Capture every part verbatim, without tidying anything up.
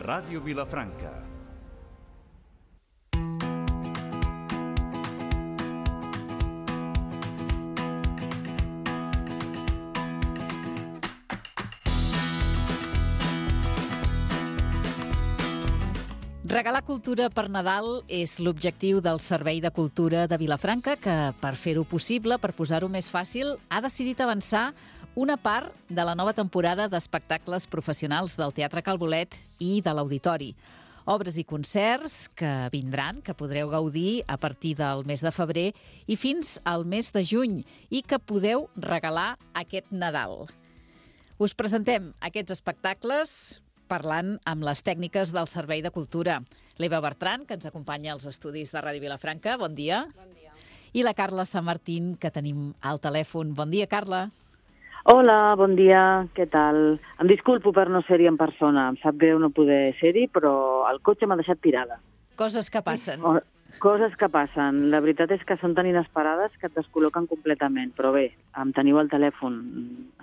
Ràdio Vilafranca. Regalar cultura per Nadal és l'objectiu del Servei de Cultura de Vilafranca, que, per fer-ho possible, per posar-ho més fàcil, ha decidit avançar una part de la nova temporada d'espectacles professionals del Teatre Cal Bolet i de l'Auditori. Obres i concerts que vindran, que podreu gaudir a partir del mes de febrer i fins al mes de juny, i que podeu regalar aquest Nadal. Us presentem aquests espectacles parlant amb les tècniques del Servei de Cultura. L'Eva Bertran, que ens acompanya als estudis de Ràdio Vilafranca. Bon dia. Bon dia. I la Carla Sant Martín, que tenim al telèfon. Bon dia, Carla. Hola, bon dia, què tal? Em disculpo per no ser-hi en persona. Em sap greu no poder ser-hi, però el cotxe m'ha deixat tirada. Coses que passen. Oh, coses que passen. La veritat és que són tan inesperades que et descol·loquen completament. Però bé, em teniu al telèfon.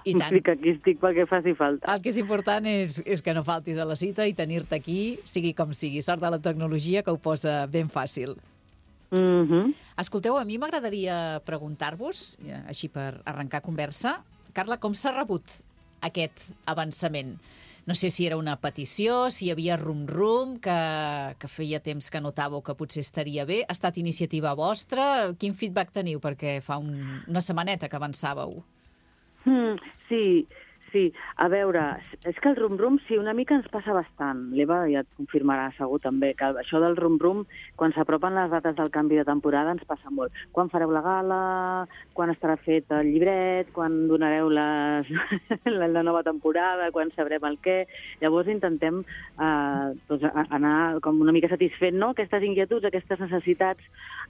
I tant. Estic aquí, estic perquè faci falta. El que és important és, és que no faltis a la cita i tenir-te aquí, sigui com sigui. Sort de la tecnologia, que ho posa ben fàcil. Mm-hmm. Escolteu, a mi m'agradaria preguntar-vos, així per arrencar conversa, Carla, com s'ha rebut aquest avançament? No sé si era una petició, si hi havia rum-rum, que, que feia temps que notàveu que potser estaria bé. Ha estat iniciativa vostra? Quin feedback teniu? Perquè fa un, una setmaneta que avançàveu. Mm, sí, sí. A veure, és que el rum-rum sí, una mica ens passa bastant. L'Eva ja et confirmarà segur també que això del rum-rum, quan s'apropen les dates del canvi de temporada, ens passa molt. Quan fareu la gala, quan estarà fet el llibret, quan donareu les, la, la nova temporada, quan sabrem el què. Llavors intentem eh, doncs, anar com una mica satisfent, no? Aquestes inquietuds, aquestes necessitats,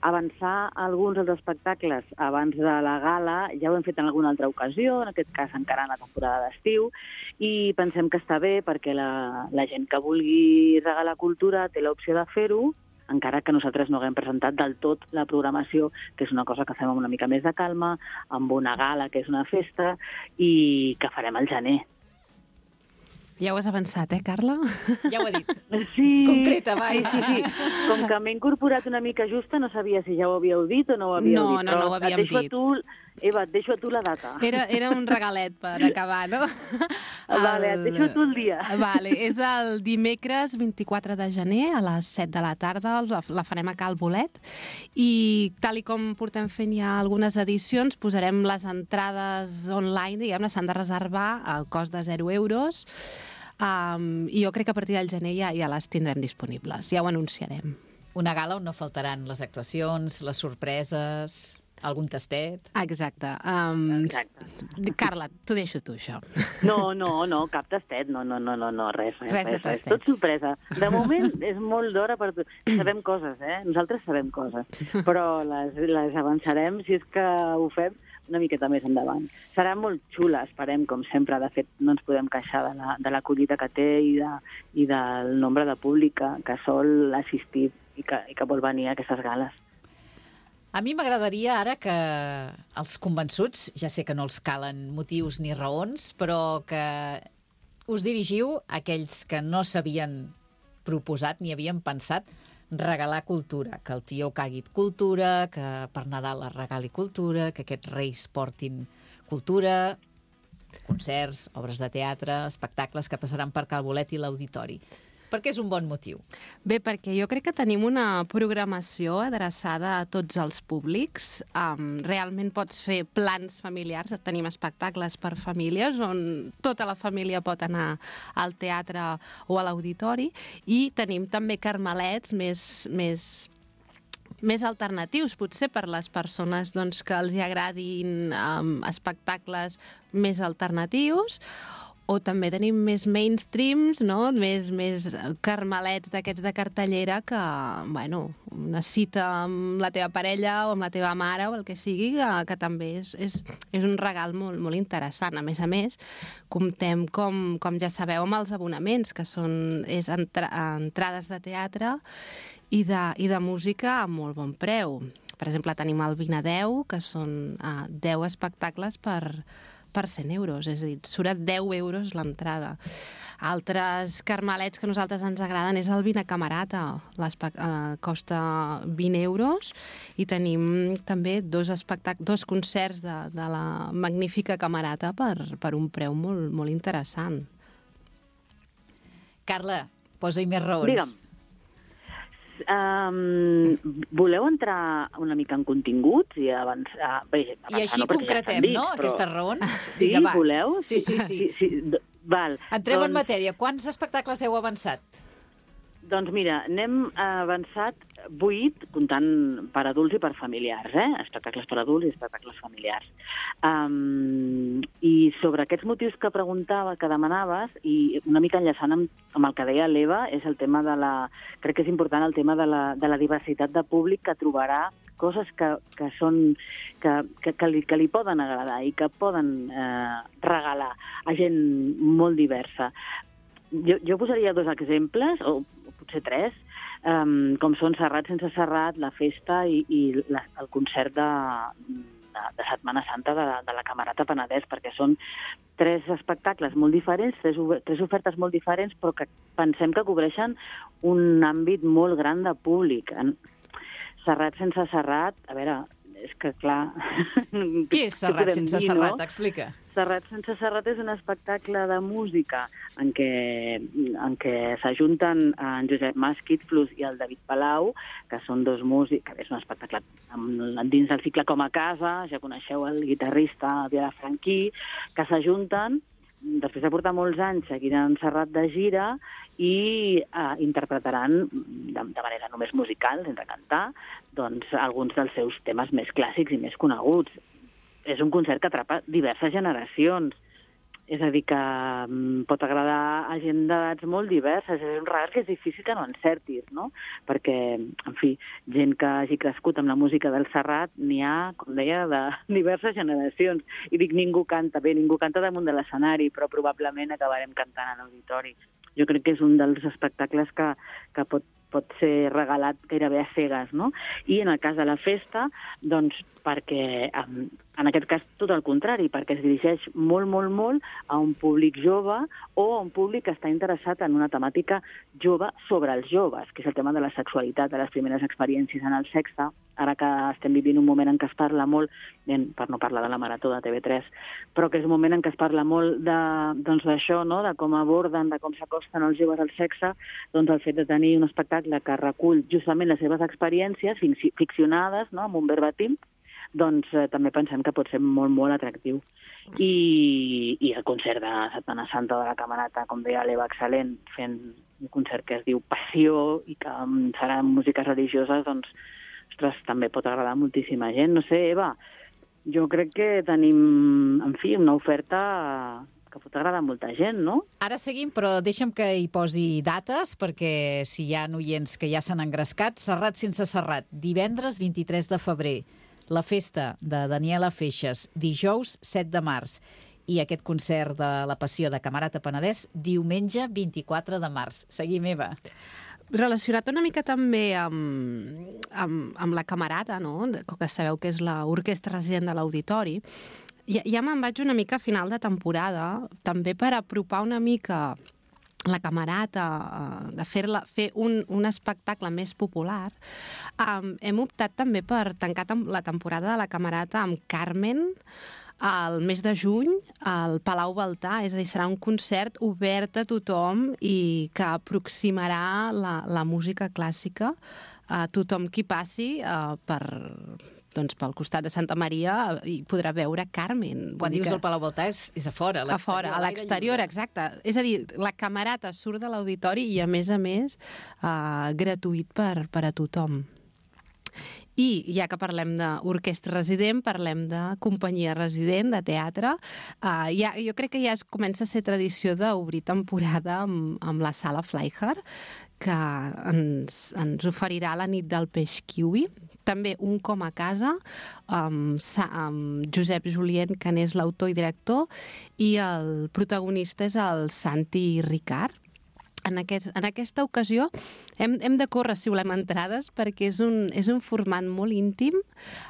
avançar alguns dels espectacles abans de la gala. Ja ho hem fet en alguna altra ocasió, en aquest cas encara en la temporada d'estiu, i pensem que està bé perquè la, la gent que vulgui regalar cultura té l'opció de fer-ho, encara que nosaltres no haguem presentat del tot la programació, que és una cosa que fem amb una mica més de calma, amb una gala, que és una festa, i que farem al gener. Ja ho has avançat, eh, Carla? Ja ho he dit. Sí, Concreta, vai. Sí, sí, sí. Com que m'he incorporat una mica justa, no sabia si ja ho havíeu dit o no ho havíeu no, dit. No, no, no ho havíem dit. dit. Tu, Eva, et deixo a tu la data. Era, era un regalet per acabar, no? Vale, et deixo a tu el dia. Vale, és el dimecres vint-i-quatre de gener a les set de la tarda, la, la farem a Cal Bolet, i tal i com portem fent ja algunes edicions, posarem les entrades online, diguem-ne, s'han de reservar al cost de zero euros, um, i jo crec que a partir del gener ja, ja les tindrem disponibles, ja ho anunciarem. Una gala on no faltaran les actuacions, les sorpreses, algun tastet. Exacte. Um, Exacte. Carla, t'ho deixo tu, això. No, no, no, cap tastet, no, no, no, no, no res, res, Res de res, res. tastets. Tot sorpresa. De moment és molt d'hora per tu. Sabem coses, eh? Nosaltres sabem coses, però les, les avançarem si és que ho fem una miqueta més endavant. Serà molt xula, esperem, com sempre. De fet, no ens podem queixar de la, de l'acollida que té i, de, i del nombre de públic que, que sol assistir i que, i que vol venir a aquestes gales. A mi m'agradaria ara que els convençuts, ja sé que no els calen motius ni raons, però que us dirigiu a aquells que no s'havien proposat ni havien pensat regalar cultura, que el tió cagui cultura, que per Nadal es regali cultura, que aquests reis portin cultura, concerts, obres de teatre, espectacles que passaran per Cal Bolet i l'Auditori. Perquè és un bon motiu. Bé, perquè jo crec que tenim una programació adreçada a tots els públics. Um, realment pots fer plans familiars, tenim espectacles per famílies on tota la família pot anar al teatre o a l'auditori, i tenim també carmelets més, més, més alternatius, potser per les persones doncs, que els hi agradin um, espectacles més alternatius. O també tenim més mainstreams, no? més, més carmelets d'aquests de cartellera que, bueno, una cita amb la teva parella o amb la teva mare o el que sigui, que, que també és, és, és un regal molt, molt interessant. A més a més, comptem, com, com ja sabeu, amb els abonaments, que són és entra, entrades de teatre i de, i de música a molt bon preu. Per exemple, tenim el vint a deu, que són uh, deu espectacles per... per cent euros, és a dir, surt a deu euros l'entrada. Altres carmelets que a nosaltres ens agraden és el Vine Camerata. Eh, costa vint euros i tenim també dos, dos concerts de, de la magnífica Camerata per, per un preu molt, molt interessant. Carla, posa-hi més raons. Digue'm. Um, voleu entrar una mica en continguts i avançar? Bé, avançar I així no, concretem, ja dit, no?, però... aquestes raons. Sí, Vinga, va. voleu? Sí, sí, sí. sí, sí. Val. Entrem doncs, en matèria. Quants espectacles heu avançat? Doncs mira, n'hem avançat vuit, comptant per adults i per familiars, eh? Espectacles per adults i espectacles familiars. Um, I sobre aquests motius que preguntava, que demanaves, i una mica enllaçant amb, amb el que deia l'Eva, és el tema de la... Crec que és important el tema de la, de la diversitat de públic que trobarà coses que, que són que, que, que, li, que li poden agradar i que poden eh, regalar a gent molt diversa. Jo, jo posaria dos exemples, o potser tres, um, com són Serrat sense Serrat, la festa i, i la, el concert de, de, de Setmana Santa de, de la Camerata Penedès, perquè són tres espectacles molt diferents, tres, tres ofertes molt diferents, però que pensem que cobreixen un àmbit molt gran de públic. Serrat sense Serrat, a veure, és que clar... Qui és Serrat sense dir, Serrat? No? Explica. Serrat sense Serrat és un espectacle de música en què, en què s'ajunten en Josep Masquitflus i el David Palau, que són dos músics, que és un espectacle dins del cicle Com a Casa, ja coneixeu el guitarrista Vilafranquí, que s'ajunten, després de portar molts anys seguiran Serrat de gira i eh, interpretaran de, de manera només musical, sense cantar, doncs, alguns dels seus temes més clàssics i més coneguts. És un concert que atrapa diverses generacions. És a dir, que um, pot agradar a gent d'edats molt diverses. És un regal que és difícil que no encertis, no? Perquè, en fi, gent que hagi crescut amb la música del Serrat n'hi ha, com deia, de diverses generacions. I dic, ningú canta bé, ningú canta damunt de l'escenari, però probablement acabarem cantant a l'auditori. Jo crec que és un dels espectacles que, que pot, pot ser regalat gairebé a cegues, no? I en el cas de la festa, doncs, perquè en aquest cas tot el contrari, perquè es dirigeix molt, molt, molt a un públic jove o a un públic que està interessat en una temàtica jove sobre els joves, que és el tema de la sexualitat, de les primeres experiències en el sexe, ara que estem vivint un moment en què es parla molt, per no parlar de la Marató de T V tres, però que és un moment en què es parla molt de, doncs, d'això, no? De com aborden, de com s'acosten els joves al sexe, doncs el fet de tenir un espectacle que recull justament les seves experiències ficcionades, no? Amb un verbatim, doncs eh, també pensem que pot ser molt, molt atractiu. I, i el concert de Setmana Santa de la Camerata, com deia l'Eva, excel·lent, fent un concert que es diu Passió i que um, serà músiques religioses, doncs, ostres, també pot agradar a moltíssima gent. No sé, Eva, jo crec que tenim, en fi, una oferta que pot agradar a molta gent, no? Ara seguim, però deixa'm que hi posi dates, perquè si hi ha oients que ja s'han engrescat, Serrat sense Serrat, divendres vint-i-tres de febrer, la festa de Daniela Feixes, dijous set de març, i aquest concert de la Passió de Camerata Penedès, diumenge vint-i-quatre de març. Seguim, Eva. Relacionat una mica també amb, amb, amb la Camerata, no? Que sabeu que és l'orquestra resident de l'Auditori, ja, ja me'n vaig una mica a final de temporada, també per apropar una mica la Camerata, de fer-la, fer un, un espectacle més popular. Um, hem optat també per tancar la temporada de la Camerata amb Carmen al mes de juny al Palau Baltà, és a dir, serà un concert obert a tothom i que aproximarà la, la música clàssica a tothom qui passi uh, per... doncs pel costat de Santa Maria i podrà veure Carmen. Quan dius el Palau Baltà és, és a fora, a a fora, a l'exterior, exacte. És a dir, la Camerata surt de l'auditori i, a més a més, uh, gratuït per, per a tothom. I, ja que parlem d'orquestra resident, parlem de companyia resident, de teatre. Uh, ja, jo crec que ja es comença a ser tradició d'obrir temporada amb, amb la Sala Fleijer, que ens, ens oferirà la nit del peix kiwi. També un com a casa, amb, amb Josep Julien, que n'és l'autor i director, i el protagonista és el Santi Ricard. en, aquest, en aquesta ocasió hem, hem de córrer si volem entrades, perquè és un, és un format molt íntim,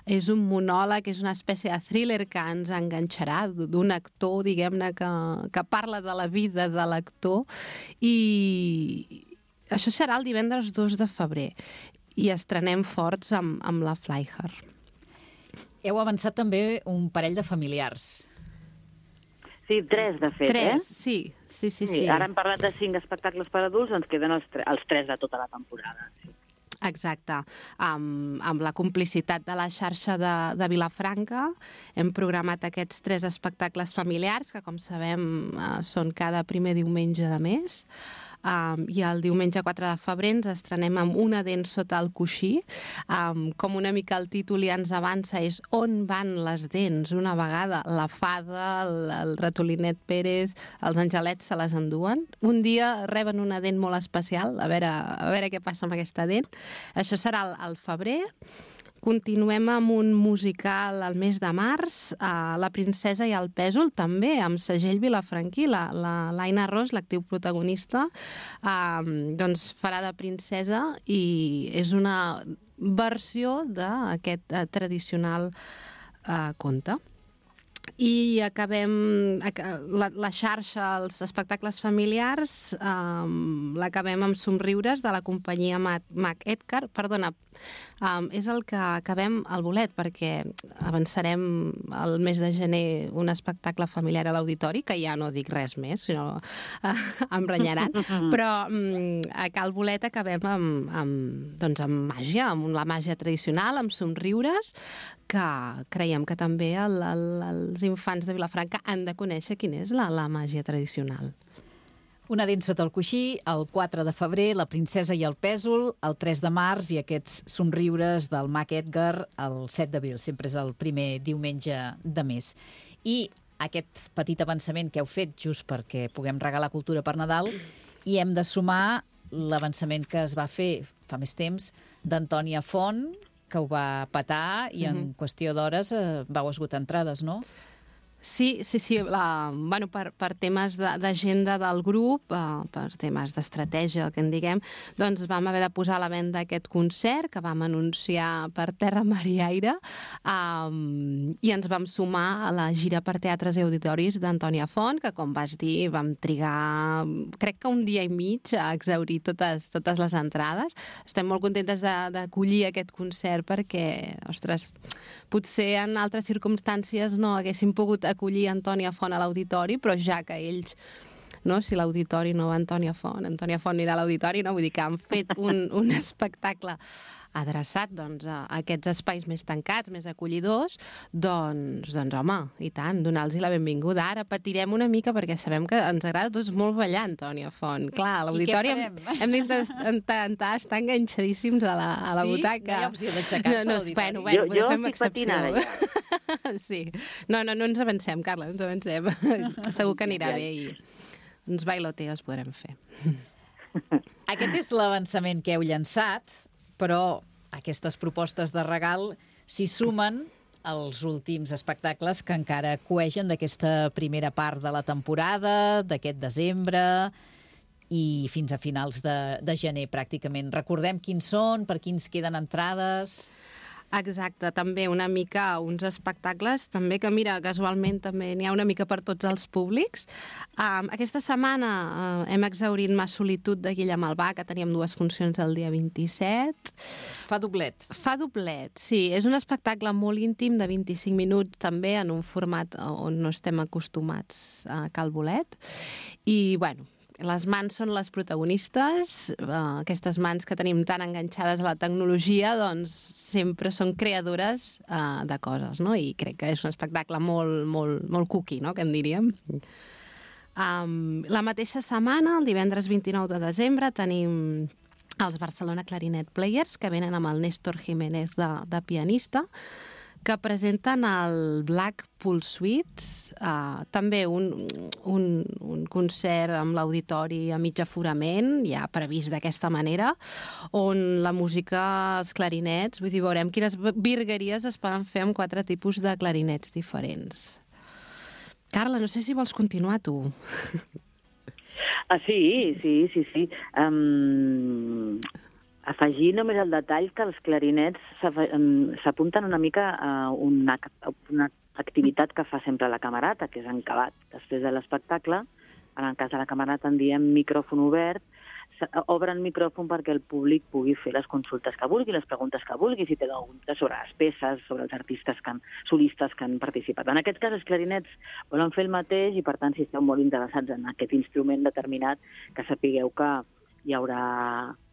és un monòleg, és una espècie de thriller que ens enganxarà d'un actor, diguem-ne, que, que parla de la vida de l'actor, i això serà el divendres dos de febrer, i estrenem forts amb, amb la Flyher. Heu avançat també un parell de familiars. Sí, tres, de fet, tres, eh? Sí, sí, sí, sí. Sí, ara hem parlat de cinc espectacles per adults, ens queden els, tre els tres de tota la temporada. Sí. Exacte. Amb, amb la complicitat de la xarxa de, de Vilafranca hem programat aquests tres espectacles familiars, que com sabem eh, són cada primer diumenge de mes. Um, i el diumenge quatre de febrer ens estrenem amb Una dent sota el coixí. Um, com una mica el títol ja ens avança, és On van les dents? Una vegada la fada, el, el ratolinet Pérez, els angelets se les enduen. Un dia reben una dent molt especial, a veure, a veure què passa amb aquesta dent. Això serà al, al febrer. Continuem amb un musical al mes de març, uh, La princesa i el pèsol, també amb segell vilafranquí. La, la l'Aina Ros, l'actriu protagonista, uh, doncs farà de princesa i és una versió d'aquest uh, tradicional uh, conte. I acabem la, la xarxa, els espectacles familiars, um, l'acabem amb Somriures de la companyia Mac Edgar. Perdona, um, és el que acabem al bolet, perquè avançarem el mes de gener un espectacle familiar a l'auditori, que ja no dic res més, sinó uh, em renyaran, però um, a Cal Bolet acabem amb, amb, doncs amb màgia, amb la màgia tradicional, amb Somriures, que creiem que també el, el, els infants de Vilafranca han de conèixer quina és la, la màgia tradicional. Una dent sota el coixí, el quatre de febrer, La princesa i el pèsol, el tres de març i aquests Somriures del Mac Edgar el set d'abril, sempre és el primer diumenge de mes. I aquest petit avançament que heu fet just perquè puguem regalar cultura per Nadal, i hem de sumar l'avançament que es va fer fa més temps d'Antònia Font, que ho va petar i en mm-hmm. qüestió d'hores eh, vau esgotar entrades, no? Sí, sí, sí. La, bueno, per, per temes d'agenda del grup, uh, per temes d'estratègia, que en diguem, doncs vam haver de posar a la venda aquest concert que vam anunciar per Terra, Mar i Aire, um, i ens vam sumar a la gira per teatres i auditoris d'Antònia Font, que, com vas dir, vam trigar, crec que un dia i mig a exhaurir totes, totes les entrades. Estem molt contentes d'acollir aquest concert perquè, ostres, potser en altres circumstàncies no haguéssim pogut acollir Antònia Font a l'auditori, però ja que ells, no, si l'auditori no va Antònia Font, Antònia Font anirà a l'auditori, no? Vull dir que han fet un, un espectacle adreçat doncs, a aquests espais més tancats, més acollidors, doncs, doncs home, i tant, donar-los la benvinguda. Ara patirem una mica perquè sabem que ens agrada tots molt ballar, Antònia Font. Clar, a l'auditori hem, hem d'intentar estar enganxadíssims a la, a la sí? butaca. No hi ha opció d'aixecar-se no, no, a l'auditori? Bueno, bueno, jo jo fem estic patinant allà. Sí. No, no, no ens avancem, Carla, no ens avancem. Segur que anirà bé i uns bailoteos podrem fer. Aquest és l'avançament que heu llançat, però aquestes propostes de regal s'hi sumen els últims espectacles que encara coegen d'aquesta primera part de la temporada, d'aquest desembre i fins a finals de, de gener, pràcticament. Recordem quins són, per quins queden entrades... Exacte, també una mica uns espectacles, també que, mira, casualment també n'hi ha una mica per tots els públics. Um, aquesta setmana uh, hem exhaurit Ma solitud de Guillem Albà, que teníem dues funcions el dia vint-i-set. Fa doblet. Fa doblet, sí. És un espectacle molt íntim de vint-i-cinc minuts, també en un format on no estem acostumats a Cal Bolet. I, bueno, les mans són les protagonistes, uh, aquestes mans que tenim tan enganxades a la tecnologia, doncs sempre són creadores uh, de coses, no? I crec que és un espectacle molt, molt, molt cookie, no?, que en diríem. Um, la mateixa setmana, el divendres vint-i-nou de desembre, tenim els Barcelona Clarinet Players, que venen amb el Néstor Jiménez de, de pianista, que presenten el Blackpool Suite, uh, també un, un, un concert amb l'auditori a mig aforament, ja previst d'aquesta manera, on la música, els clarinets, vull dir, veurem quines virgueries es poden fer amb quatre tipus de clarinets diferents. Carla, no sé si vols continuar tu. Ah, sí, sí, sí, sí. Um, afegir només el detall que els clarinets s'apunten una mica a una, una activitat que fa sempre la camerata, que és encabat. Després de l'espectacle, en el cas de la camerata en diem micròfon obert, obren micròfon perquè el públic pugui fer les consultes que vulgui, les preguntes que vulgui, si té algun dubte sobre les peces, sobre els artistes que han, solistes que han participat. En aquest cas, els clarinets volen fer el mateix i, per tant, si esteu molt interessats en aquest instrument determinat, que sapigueu que hi haurà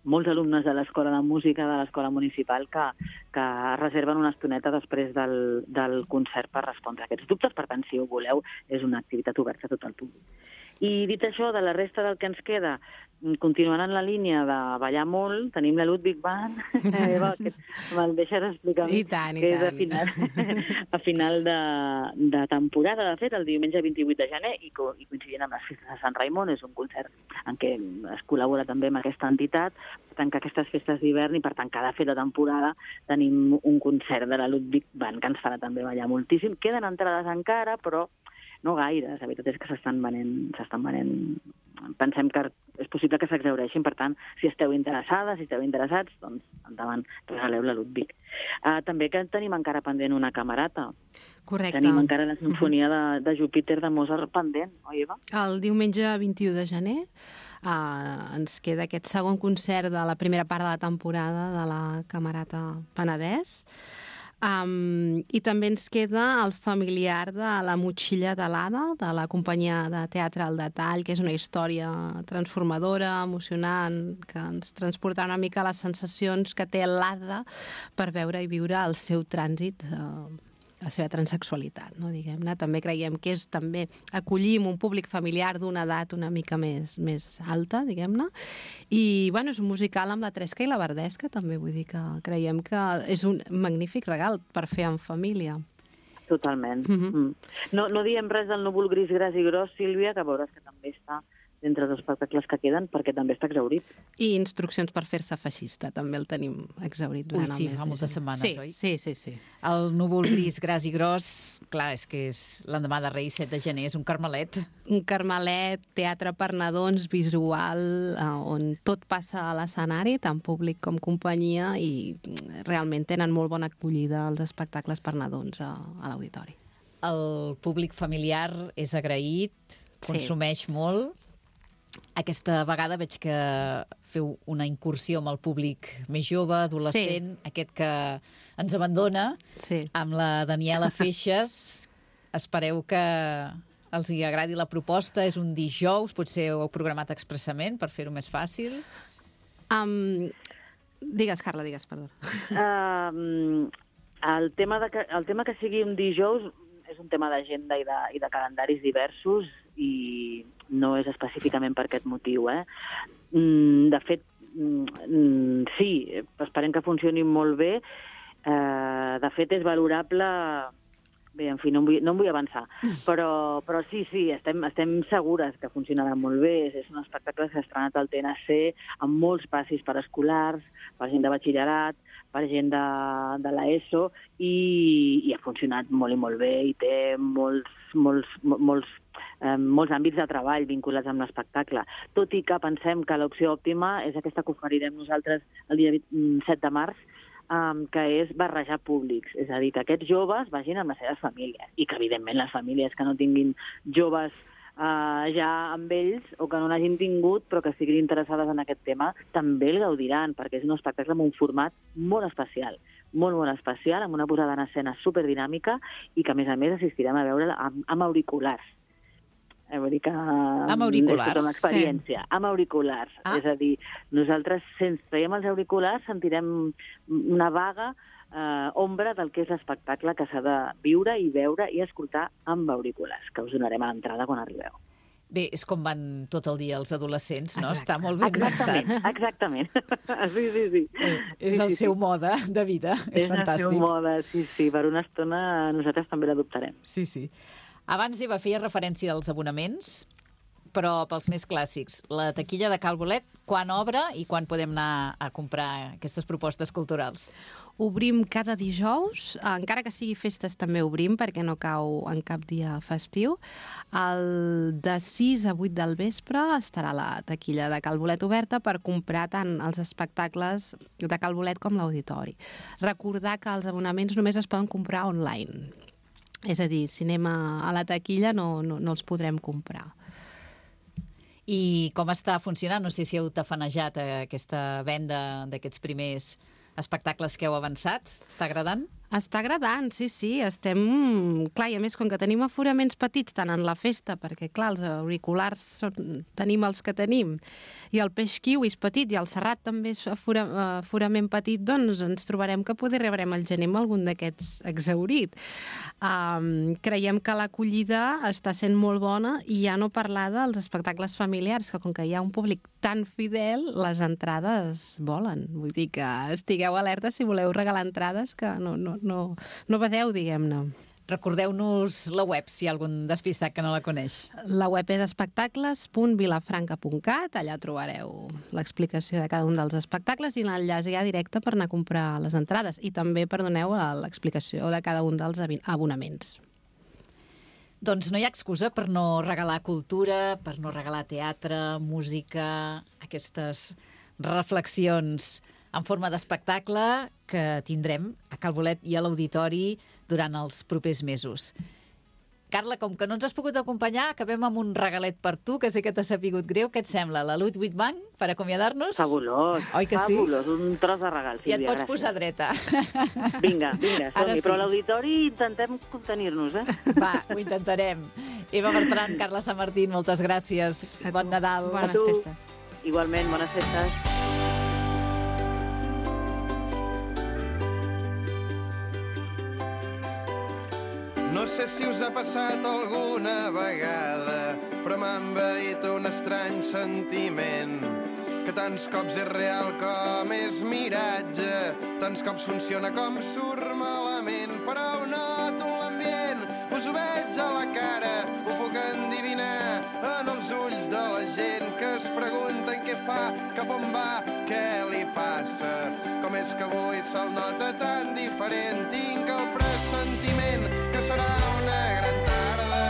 molts alumnes de l'Escola de Música de l'Escola Municipal que, que reserven una estoneta després del, del concert per respondre a aquests dubtes. Per tant, si ho voleu, és una activitat oberta a tot el públic. I dit això, de la resta del que ens queda, continuant en la línia de ballar molt, tenim la Ludwig Band, Eva, que me'l deixes explicar, I tant, i que és tant. a final, a final de, de temporada, de fet, el diumenge vint-i-vuit de gener, i, co i coincidint amb les festes de Sant Raimon, és un concert en què es col·labora també amb aquesta entitat, per tant que aquestes festes d'hivern i per tant cada fet de temporada tenim un concert de la Ludwig Band que ens farà també ballar moltíssim. Queden entrades encara, però no gaire, la veritat és que s'estan venent, s'estan venent. Pensem que és possible que s'exhaureixin, per tant, si esteu interessades, si esteu interessats, doncs endavant, regaleu la Ludwig. Uh, també que tenim encara pendent una camerata. Correcte. Tenim encara la sinfonia de, de Júpiter de Mozart pendent, oi, Eva? El diumenge vint-i-u de gener uh, ens queda aquest segon concert de la primera part de la temporada de la Camerata Penedès. Um, I també ens queda el familiar de La motxilla de l'Ada, de la companyia de teatre al detall, que és una història transformadora, emocionant, que ens transporta una mica a les sensacions que té l'Ada per veure i viure el seu trànsit, uh, la seva transexualitat, no, diguem-ne. També creiem que és també acollim un públic familiar d'una edat una mica més, més alta, diguem-ne. I, bueno, és un musical amb la Tresca i la Verdesca, també, vull dir que creiem que és un magnífic regal per fer en família. Totalment. Mm-hmm. mm. No, no diem res del núvol gris, gras i gros, Sílvia, que veuràs que també està entre els espectacles que queden, perquè també està exhaurit. I instruccions per fer-se feixista, també el tenim exhaurit durant Ui, sí, el mes fa moltes setmanes, sí, oi? Sí, sí, sí. El núvol gris, gras i gros, clar, és que és l'endemà de Reis, set de gener, és un carmelet. Un carmelet, teatre per nadons, visual, eh, on tot passa a l'escenari, tant públic com companyia, i realment tenen molt bona acollida els espectacles per nadons a, a l'auditori. El públic familiar és agraït, consumeix sí. molt. Aquesta vegada veig que feu una incursió amb el públic més jove, adolescent, sí. aquest que ens abandona, sí. amb la Daniela Feixes. Espereu que els hi agradi la proposta. És un dijous, potser ho heu programat expressament per fer-ho més fàcil. Um, digues, Carla, digues, perdó. Um, el, tema de que, el tema que sigui un dijous és un tema d'agenda i, de, i de calendaris diversos i no és específicament per aquest motiu. Eh? De fet, sí, esperem que funcioni molt bé. De fet, és valorable... Bé, en fi, no em vull, no em vull avançar, però, però sí, sí, estem, estem segures que funcionarà molt bé. És un espectacle que s'ha estrenat al T N C amb molts passis per escolars, per gent de batxillerat, per gent de, de l'ESO, i, i ha funcionat molt i molt bé, i té molts, molts, molts, eh, molts àmbits de treball vinculats amb l'espectacle. Tot i que pensem que l'opció òptima és aquesta que oferirem nosaltres el dia set de març, Um, que és barrejar públics. És a dir, que aquests joves vagin amb les seves famílies i que, evidentment, les famílies que no tinguin joves uh, ja amb ells o que no n'hagin tingut però que estiguin interessades en aquest tema també el gaudiran, perquè és un espectacle amb un format molt especial, molt, molt especial, amb una posada en escena superdinàmica i que, a més a més, assistirem a veure amb, amb auriculars. Vull dir que amb auriculars, és tota una experiència. Sí. Amb auriculars. Ah. És a dir, nosaltres, sense traiem els auriculars, sentirem una vaga eh, ombra del que és l'espectacle que s'ha de viure i veure i escoltar amb auriculars, que us donarem a l'entrada quan arribeu. Bé, és com van tot el dia els adolescents, no? Exacte. Està molt ben Exactament, pensat. Exactament. Sí, sí, sí. Eh, és sí, el sí, seu sí. mode de vida. És, és fantàstic. És el seu mode, sí, sí. Per una estona nosaltres també l'adoptarem. Sí, sí. Abans, Eva, feia referència als abonaments, Però pels més clàssics, la taquilla de Cal Bolet, quan obre i quan podem anar a comprar aquestes propostes culturals? Obrim cada dijous, encara que sigui festes també obrim, perquè no cau en cap dia festiu. El de sis a vuit del vespre estarà la taquilla de Cal Bolet oberta per comprar tant els espectacles de Cal Bolet com l'auditori. Recordar que els abonaments només es poden comprar online. És a dir, si anem a, a la taquilla no, no, no els podrem comprar. I com està funcionant? No sé si heu tafanejat aquesta venda d'aquests primers espectacles que heu avançat. Està agradant? Està agradant, sí, sí. Estem... Clar, i a més, com que tenim aforaments petits tant en la festa, perquè, clar, els auriculars són... tenim els que tenim, i el peix kiwi és petit, i el serrat també és afora... aforament petit, doncs ens trobarem que poder rebrem al gener amb algun d'aquests exhaurit. Um, creiem que l'acollida està sent molt bona, i ja no parlar dels espectacles familiars, que com que hi ha un públic tan fidel, les entrades volen. Vull dir que estigueu alerta si voleu regalar entrades, que no, no, no, no badeu, diguem-ne. Recordeu-nos la web, si hi ha algun despistat que no la coneix. La web és espectacles punt vilafranca punt cat, allà trobareu l'explicació de cada un dels espectacles i l'enllaç ja directe per anar a comprar les entrades. I també, perdoneu, l'explicació de cada un dels abonaments. Doncs no hi ha excusa per no regalar cultura, per no regalar teatre, música, aquestes reflexions en forma d'espectacle que tindrem a Cal Bolet i a l'Auditori durant els propers mesos. Carla, com que no ens has pogut acompanyar, acabem amb un regalet per tu, que sé que t'ha sapigut greu. Què et sembla? La Ludwig Bank, per acomiadar-nos? Fabulós, Oi que fabulós, sí? Un tros de regal, Sílvia, I et pots gràcies. posar dreta. Vinga, vinga, som-hi, Sí. però a l'auditori intentem contenir-nos, eh? Va, ho intentarem. Eva Bertran, Carla Sant Martín, moltes gràcies. Bon Nadal. Bones festes. Igualment, bones festes. No sé si us ha passat alguna vegada, però m'ha envaït un estrany sentiment, que tants cops és real com és miratge, tants cops funciona com surt malament, però ho noto en l'ambient, us ho veig a la cara, ho puc endivinar en els ulls de la gent que es pregunten què fa, cap on va, què li passa, com és que avui se'l nota tan diferent, tinc el pressentiment que serà una gran tarda,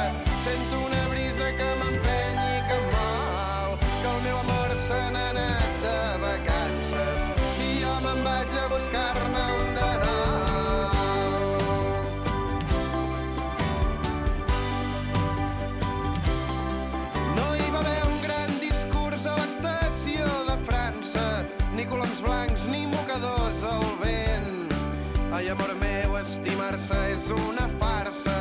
sento una brisa que m'empeny i que em mou, que el meu amor se n'ha anat de vacances i jo me'n vaig a buscar-ne un de nou. No hi va haver un gran discurs a l'estació de França, ni coloms blancs ni mocadors al vent. Ai, amor meu, estimar-se és una farsa,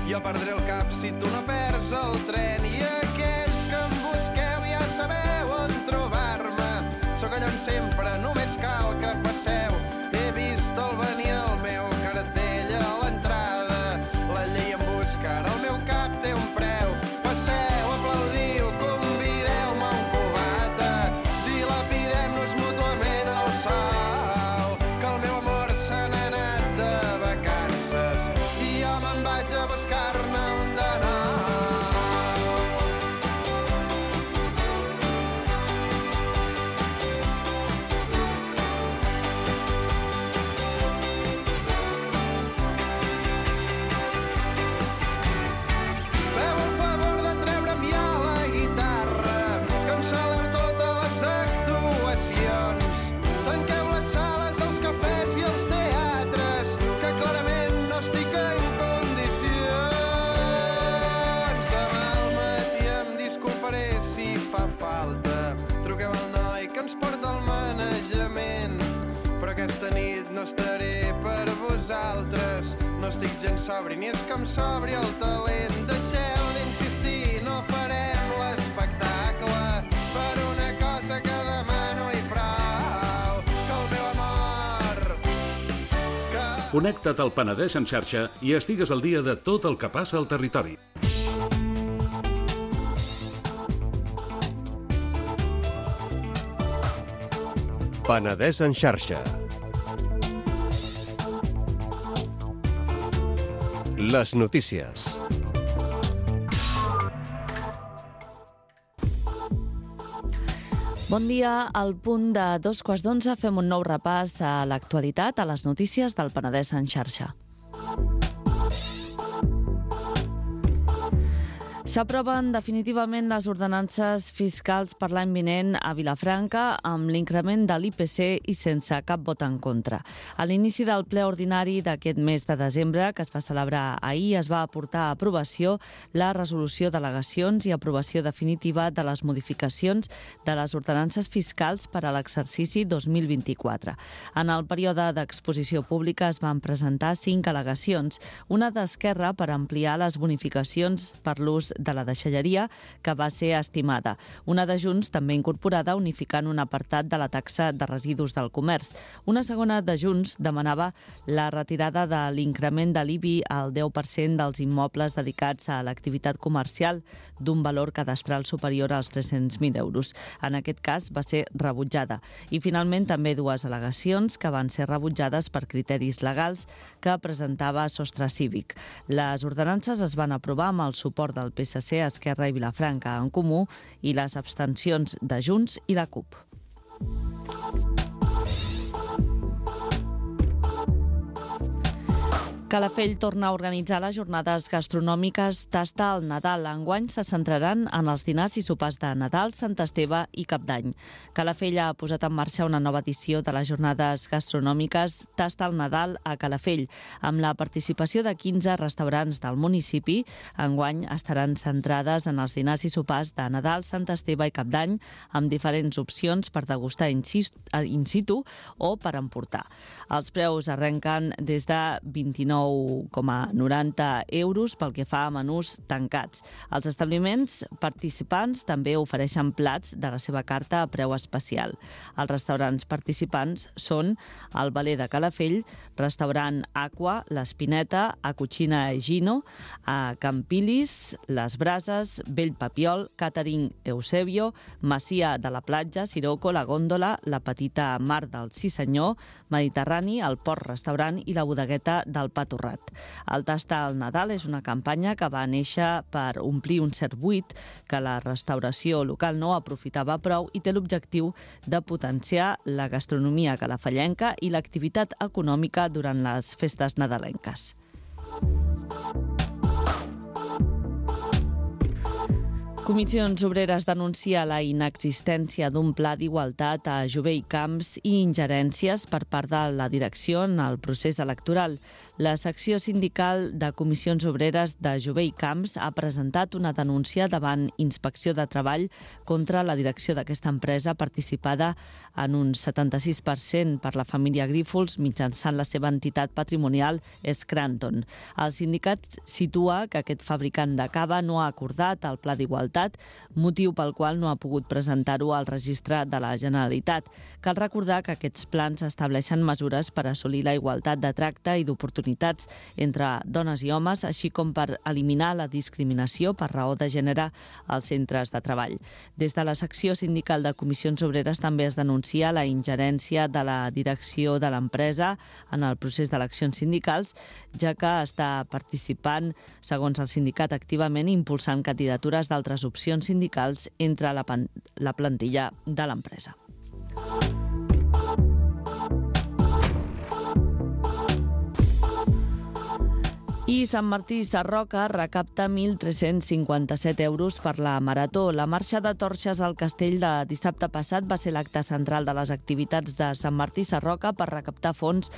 jo perdré el cap si tu no perds el tren, i aquells que em busqueu ja sabeu on trobar-me, sóc allà on sempre, només cal que passeu, he vist el venir el meu cartell a l'entrada, la llei em busca, ara el meu cap té un preu, passeu, aplaudiu, convideu-me a un cubata, dilapidem-nos mútuament el sou, que el meu amor se n'ha anat de vacances i jo me'n vaig a buscar-ne un de nou. Feu el favor de treure'm ja la guitarra, que em saleu totes les actuacions. Tanqueu les sales, els cafès i els teatres, que clarament no estic en condicions. Demà al matí em disculparé si fa falta. Truqueu al noi que ens porta el manejament, però aquesta nit no estaré per vosaltres. No estic gens sobri, ni és que em sobri el talent. Deixeu d'insistir, no farem l'espectacle per una cosa que demano i prou, que el meu amor... Que... Connecta't al Penedès en xarxa i estigues al dia de tot el que passa al territori. Penedès en xarxa. Les notícies. Bon dia. Al punt de dos quarts d'onze fem un nou repàs a l'actualitat, a les notícies del Penedès en xarxa. S'aproven definitivament les ordenances fiscals per l'any vinent a Vilafranca amb l'increment de l'I P C i sense cap vot en contra. A l'inici del ple ordinari d'aquest mes de desembre, que es va celebrar ahir, es va aportar a aprovació la resolució d'al·legacions i aprovació definitiva de les modificacions de les ordenances fiscals per a l'exercici dos mil vint-i-quatre. En el període d'exposició pública es van presentar cinc al·legacions, una d'Esquerra per ampliar les bonificacions per l'ús de la deixalleria, que va ser estimada. Una de Junts, també incorporada, unificant un apartat de la taxa de residus del comerç. Una segona de Junts demanava la retirada de l'increment de l'I B I al deu per cent dels immobles dedicats a l'activitat comercial d'un valor cadastral superior als tres-cents mil euros. En aquest cas va ser rebutjada. I finalment també dues al·legacions que van ser rebutjades per criteris legals que presentava Sostre Cívic. Les ordenances es van aprovar amb el suport del P S C, Esquerra i Vilafranca en Comú i les abstencions de Junts i la CUP. Calafell torna a organitzar les jornades gastronòmiques Tasta al Nadal. Enguany se centraran en els dinars i sopars de Nadal, Sant Esteve i Cap d'Any. Calafell ha posat en marxa una nova edició de les jornades gastronòmiques Tasta al Nadal a Calafell, amb la participació de quinze restaurants del municipi. Enguany estaran centrades en els dinars i sopars de Nadal, Sant Esteve i Cap d'Any, amb diferents opcions per degustar in situ o per emportar. Els preus arrenquen des de vint-i-nou coma noranta euros pel que fa a menús tancats. Els establiments participants també ofereixen plats de la seva carta a preu especial. Els restaurants participants són el Valer de Calafell, Restaurant Aqua, l'Espineta, a Cucina Gino, a Campilis, Les Brases, Vell Papiol, Catering Eusebio, Masia de la Platja, Siroco, La Góndola, la Petita Mar del Sí Senyor, Mediterrani, el Port Restaurant i la Bodegueta del Pa Torrat. El Tasta al Nadal és una campanya que va néixer per omplir un cert buit que la restauració local no aprofitava prou i té l'objectiu de potenciar la gastronomia calafellenca i l'activitat econòmica durant les festes nadalenques. Comissions Obreres denuncia la inexistència d'un pla d'igualtat a Jové i Camps i ingerències per part de la direcció en el procés electoral. La secció sindical de Comissions Obreres de Jové i Camps ha presentat una denúncia davant Inspecció de Treball contra la direcció d'aquesta empresa participada en un setanta-sis per cent per la família Grífols mitjançant la seva entitat patrimonial Scranton. El sindicat situa que aquest fabricant de cava no ha acordat el pla d'igualtat, motiu pel qual no ha pogut presentar-ho al registre de la Generalitat. Cal recordar que aquests plans estableixen mesures per assolir la igualtat de tracte i d'oportunitats entre dones i homes, així com per eliminar la discriminació per raó de gènere als centres de treball. Des de la secció sindical de Comissions Obreres també es denuncia la ingerència de la direcció de l'empresa en el procés d'eleccions sindicals, ja que està participant, segons el sindicat, activament impulsant candidatures d'altres opcions sindicals entre la, la plantilla de l'empresa. I Sant Martí Sarroca recapta mil tres-cents cinquanta-set euros per la Marató. La marxa de torxes al castell de dissabte passat va ser l'acte central de les activitats de Sant Martí Sarroca per recaptar fons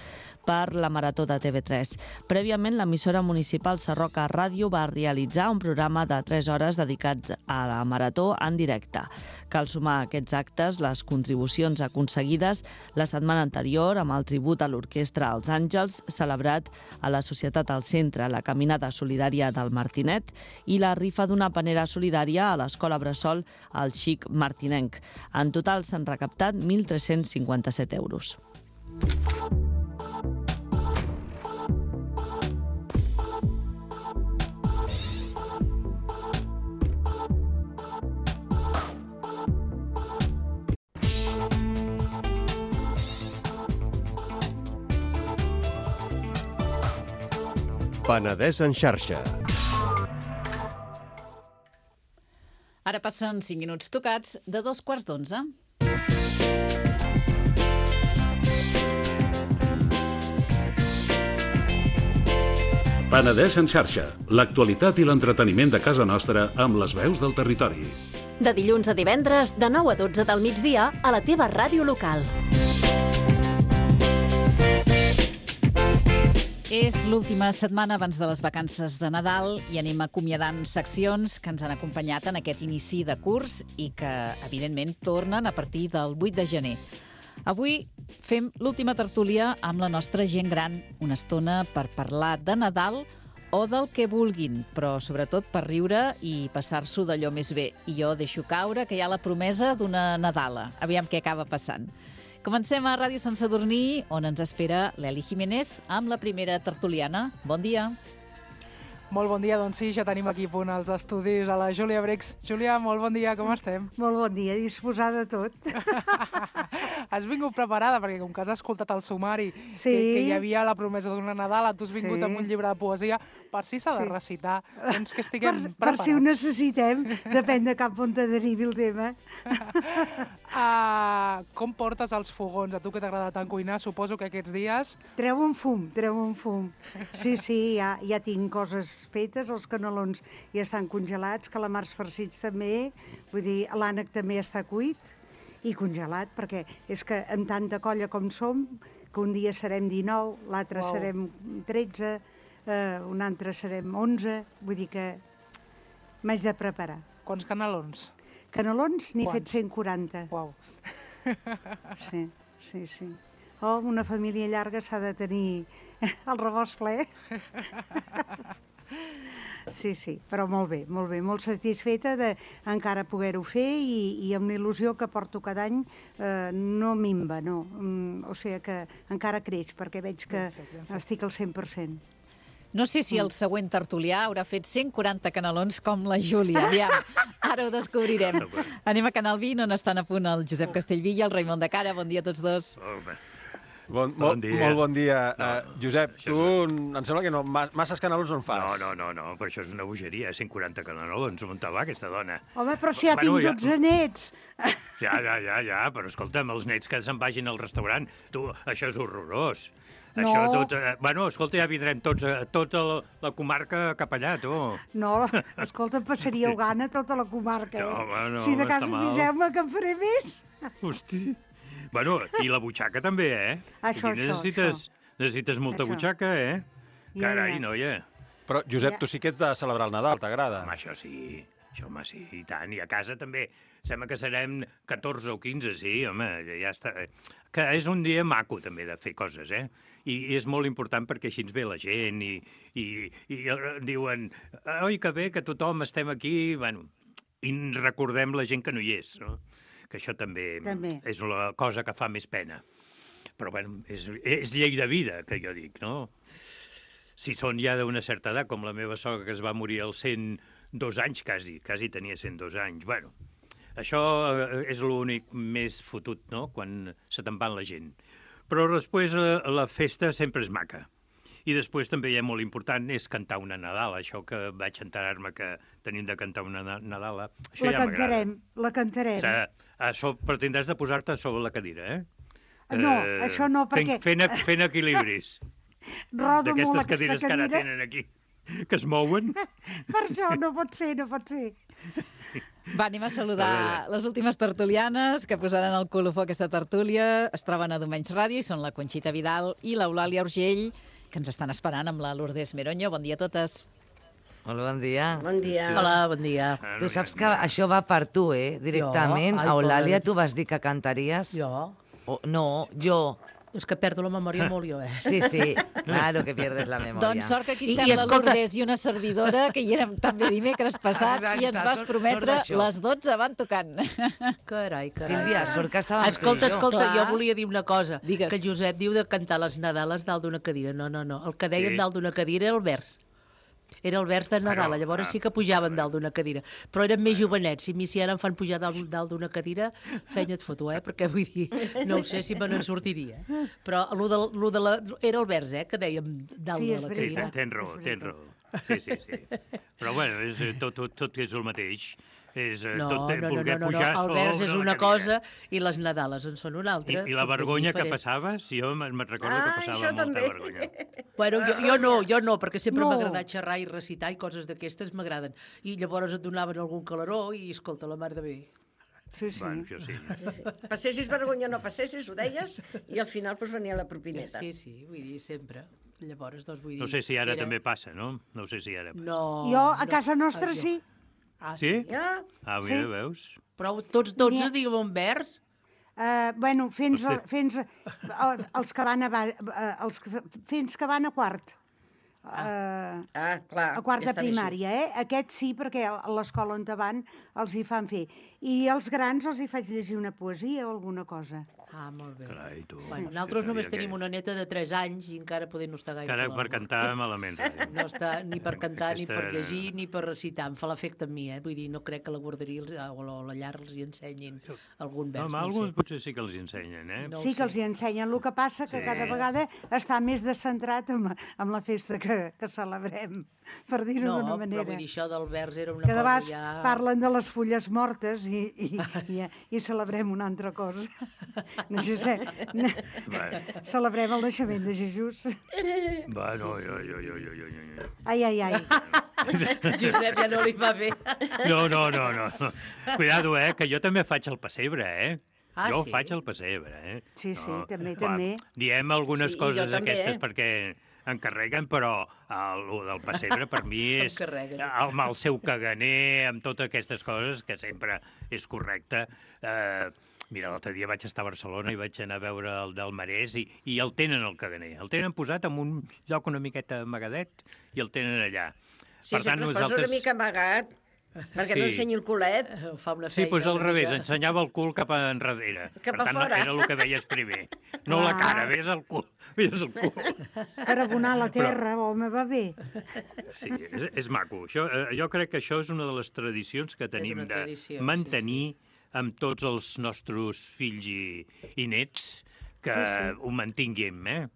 per la Marató de T V tres. Prèviament, l'emissora municipal Sarroca Ràdio va realitzar un programa de tres hores dedicat a la Marató en directe. Cal sumar a aquests actes les contribucions aconseguides la setmana anterior amb el tribut a l'Orquestra Els Àngels, celebrat a la Societat al Centre, la Caminada Solidària del Martinet i la rifa d'una panera solidària a l'Escola Bressol al Xic Martinenc. En total s'han recaptat mil tres-cents cinquanta-set euros. Penedès en xarxa. Ara passen cinc minuts tocats de dos quarts d'onze. Penedès en xarxa, l'actualitat i l'entreteniment de casa nostra amb les veus del territori. De dilluns a divendres, de nou a dotze del migdia, a la teva ràdio local. És l'última setmana abans de les vacances de Nadal i anem acomiadant seccions que ens han acompanyat en aquest inici de curs i que, evidentment, tornen a partir del vuit de gener. Avui fem l'última tertúlia amb la nostra gent gran, una estona per parlar de Nadal o del que vulguin, però sobretot per riure i passar-s'ho d'allò més bé. I jo deixo caure que hi ha la promesa d'una Nadala. Aviam què acaba passant. Comencem a Ràdio Sant Sadurní, on ens espera l'Eli Jiménez amb la primera tertuliana. Bon dia. Molt bon dia, doncs sí, ja tenim aquí a punt als estudis a la Júlia Brecs. Júlia, molt bon dia, com estem? Molt bon dia, disposada a tot. Has vingut preparada, perquè com que has escoltat el sumari, sí. que, que hi havia la promesa d'una Nadala, tu has vingut sí. amb un llibre de poesia, per si s'ha de sí. recitar, doncs que estiguem per, preparats. Per si ho necessitem, depèn de cap on te derivi el tema. uh, com portes els fogons? A tu que t'agrada tant cuinar, suposo que aquests dies... Treu un fum, treu un fum. Sí, sí, ja, ja tinc coses fetes, els canelons ja estan congelats, calamars farcits també, vull dir, l'ànec també està cuit i congelat, perquè és que amb tanta colla com som, que un dia serem dinou, l'altre wow. serem tretze, eh, un altre serem onze, vull dir que m'haig de preparar. Quants canelons? Canelons n'he fet cent quaranta. Uau. Sí, sí, sí. Oh, una família llarga s'ha de tenir el rebost ple. Sí, sí, però molt bé, molt bé, molt satisfeta d'encara poder-ho fer i, i amb l'il·lusió que porto cada any eh, no minva, no. Mm, o sigui que encara creix, perquè veig que ben fet, ben fet. Estic al cent per cent. No sé si el següent tertulià haurà fet cent quaranta canelons com la Júlia. Aviam, ara ho descobrirem. Anem a Canal vint, on estan a punt el Josep Castellví i el Raimon de Cara. Bon dia a tots dos. Bon, bon dia. Molt bon dia. No, uh, Josep, tu és... em sembla que no, masses canelons no en fas. No, no, no, no, però això és una bogeria, cent quaranta canelons, on te va aquesta dona? Home, però si ja bueno, tinc ja... dotze nets. Ja, ja, ja, ja, però escolta'm, els nets que se'n vagin al restaurant, tu, això és horrorós. No. Això tot, eh, bueno, escolta, ja vindrem tots, a, tota la, la comarca cap allà, tu. No, escolta, passaríeu gana tota la comarca, eh? No, bueno, si de cas aviseu-me que en faré més. Hosti. Bueno, i la butxaca també, eh? Això, Aquí necessites, això. Necessites molta això. Butxaca, eh? Ja, Carai, ja. noia. Però, Josep, ja. tu sí que ets de celebrar el Nadal, t'agrada? Home, això sí, això, home, sí, i tant. I a casa també, sembla que serem catorze o quinze, sí, home, ja està. Que és un dia maco, també, de fer coses, eh? I, i és molt important perquè així ens ve la gent i, i, i diuen, oi, que bé, que tothom estem aquí, bueno, i recordem la gent que no hi és, no? Que això també, també és la cosa que fa més pena. Però, bueno, és, és llei de vida, que jo dic, no? Si són ja d'una certa edat, com la meva sogra, que es va morir als cent dos anys, quasi, quasi tenia cent dos anys. Bueno, això és l'únic més fotut, no?, quan se te'n va la gent. Però després la festa sempre és maca. I després també hi ha molt important és cantar una Nadala, això que vaig enterar-me que tenim de cantar una Nadala. Això la ja cantarem, la cantarem. O sigui, això, però tindràs de posar-te sobre la cadira, eh? No, eh, això no, perquè... Fent, fent, fent equilibris. Rodo molt aquesta cadires cadira. Que ara tenen aquí, que es mouen. Per això no pot ser, no pot ser. Va, anem a saludar les últimes tertulianes que posaran el colofó a aquesta tertúlia. Es troben a Domenys Ràdio i són la Conxita Vidal i l'Eulàlia Urgell, que ens estan esperant amb la Lourdes Meronyo. Bon dia a totes. Molt bon dia. Bon dia. Hola, bon dia. Tu saps que això va per tu, eh? Directament. A Eulàlia, tu vas dir que cantaries? Jo? Oh, no, jo. És que perdo la memòria molt jo, eh? Sí, sí, claro que pierdes la memòria. Doncs sort que aquí estem I, i la escolta... Lourdes i una servidora, que hi érem també dimecres passat, Exacte, i ens vas prometre les dotze van tocant. Carai, carai. Sílvia, sort que estàvem Escolta, tu i jo. escolta, Clar. jo volia dir una cosa. Digues. Que Josep diu de cantar les Nadales dalt d'una cadira. No, no, no. El que dèiem sí. dalt d'una cadira era el vers. Era el vers de Nadal, llavors sí que pujaven dalt d'una cadira. Però eren més jovenets. Si a mi si ara em fan pujar dalt, dalt d'una cadira, fenya et foto, eh? Perquè vull dir, no ho sé si me n'en sortiria. Però lo de, lo de la, era el vers, eh? Que dèiem dalt sí, de la cadira. Sí, tens raó, tens raó. Sí, sí, sí. Però bueno, és, tot, tot, tot és el mateix. és eh, No, tot no, no, voler no, no, pujar no. El vers sobre és la una cadira. cosa i les Nadales en són una altra. I, I la tot ben vergonya que diferent. passava, sí, jo me'n recordo Ah, que passava això molta també. vergonya. Bueno, jo, jo no, jo no, perquè sempre No. m'ha agradat xerrar i recitar i coses d'aquestes m'agraden. I llavors et donaven algun caloró i, escolta, la mar de bé. Sí, sí. Bueno, jo sí. Sí, sí. Passessis vergonya o no passessis, ho deies, i al final pues, venia la propineta. Sí, sí, vull dir, sempre. Llavors, doncs, vull dir... No sé si ara era- també passa, no? No sé si ara passa. No. Jo, a no. casa nostra, Ah, jo. sí. Ah, Sí? Ja? Ah, mira, Sí. veus? Però tots dotze N'hi ha- diguem un vers? Uh, bueno, fins, a, Hosti. fins a, uh, els que van a, ba- uh, els que, fins que van a quart. Uh, Ah, clar. a quart ja de està bé així. primària, eh? Aquest sí, perquè a l'escola on te van els hi fan fer. I als grans els hi faig llegir una poesia o alguna cosa. Ah, molt bé. Carai, tu. Bueno, Hosti, nosaltres només sabia tenim que- una neta de tres anys i encara poder no està gaire Encara per per l'alba. cantar malament. rai. No està ni per cantar, ni per Aquesta- llegir, ni per recitar. Em fa l'efecte a mi, eh? Vull dir, no crec que la guarderia els- o la, o la llar els hi ensenyin algun vers. No, home, no ho alguns sé. potser sí que els hi ensenyen, eh? No ho Sí que sé. els hi ensenyen. El que passa que Sí. cada vegada està més descentrat amb, amb la festa que, que celebrem, per dir-ho No, d'una però manera. vull dir, això del vers era una Que de cosa vegades ja... parlen de les fulles mortes i, i, i, i celebrem una altra cosa. No, Josep, no, Bueno, celebrem el naixement de Jesús. bueno, jo, jo, jo, jo, jo, jo. Ai, ai, ai. Josep ja no li va bé. No, no, no, no. no. Cuidado, eh, que jo també faig el pessebre, eh? Ah, jo sí? faig el pessebre, eh? Sí, sí, No, també, clar, també. Diem algunes Sí, i coses jo també, aquestes eh? perquè encarreguen, però el, el del pessebre per mi és Encarreguen. el, el seu caganer, amb totes aquestes coses, que sempre és correcte. Eh, mira, l'altre dia vaig estar a Barcelona i vaig anar a veure el del Marès i, i el tenen el caganer. El tenen posat en un lloc una miqueta amagadet i el tenen allà. Sí, sempre es posa una mica amagat, perquè no Sí. ensenyi el culet. Fa una Sí, feina. doncs al una revés, mica. ensenyava el cul cap a enrere. Cap per a tant, fora. era el que veies primer. No la Clar. cara, veies el cul. Veies el cul. Per abonar la terra, home, va bé. Sí, és, és maco. Això, eh, jo crec que això és una de les tradicions que tenim una de tradició, sí, mantenir amb tots els nostres fills i, i nets, que Sí, sí. ho mantinguem, eh?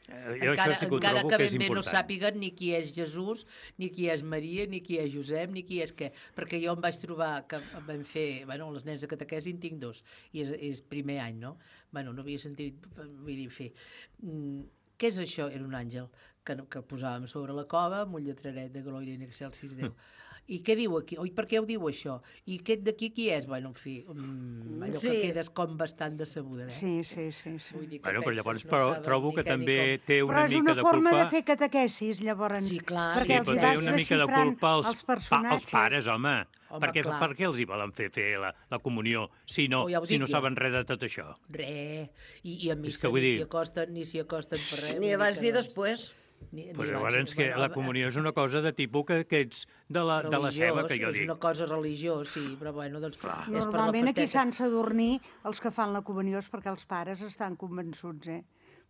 Eh, Jo Encara, això sí que ho encara trobo que que és ben bé no important. sàpiguen ni qui és Jesús, ni qui és Maria, ni qui és Josep, ni qui és què. Perquè jo em vaig trobar que vam fer... Bueno, les nens de catequesi en tinc dos, i és, és primer any, no? Bueno, no havia sentit, vull dir, fer... Mm, què és això? Era un àngel que, que el posàvem sobre la cova amb un lletraret de Gloria in excelsis Déu. I què diu aquí? Oi, per què ho diu això? I aquest d'aquí qui és? Bueno, en fi, um, allò Sí. que quedes com bastant decebuda, eh? Sí, sí, sí. sí. Vull dir que Bueno, però penses, llavors no però, saben trobo ni que què ni també com. té Però una és mica una de forma culpa... de fer catequesis, llavors. Sí, clar, perquè Sí, els però hi té vas una mica de desxifrant culpa als, els pa, personatges. als pares, home. Home, per, què, clar. per què els hi volen fer fer la, la comunió si no, Oh, ja ho si dic no jo. saben res de tot això? Re, i, i a És missa que vull ni dir- s'hi acosten, ni s'hi acosten per res. Ni vull abans que ni no- després. Ni, Pues ni llavors abans, que bueno, la comunió és una cosa de tipus que, que ets de la, de la ceba, que jo és dic. una cosa religiós, sí, però bueno, doncs... Clar. és per la Normalment aquí festeta. s'han sadornir els que fan la comunió és perquè els pares estan convençuts, eh?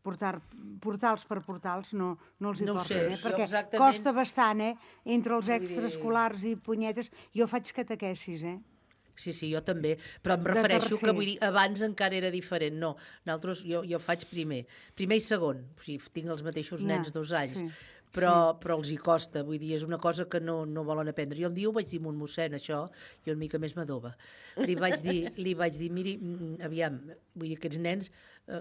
Portar, portals per portals no, no els hi No ho porten, sé, eh? jo Perquè exactament- costa bastant, eh? Entre els Vull dir- extraescolars i punyetes. Jo faig catequesis, eh? Sí, sí, jo també, però em De refereixo tercer. que vull dir, abans encara era diferent, no. Nosaltres, jo, jo faig primer, primer i segon, o sigui, tinc els mateixos Ja, nens dos anys, sí, però, sí. però els hi costa, vull dir, és una cosa que no, no volen aprendre. Jo un dia ho vaig dir a un mossèn, això, i una mica més m'adoba. Li vaig dir, li vaig dir, miri, mm, aviam, vull dir, aquests nens, eh,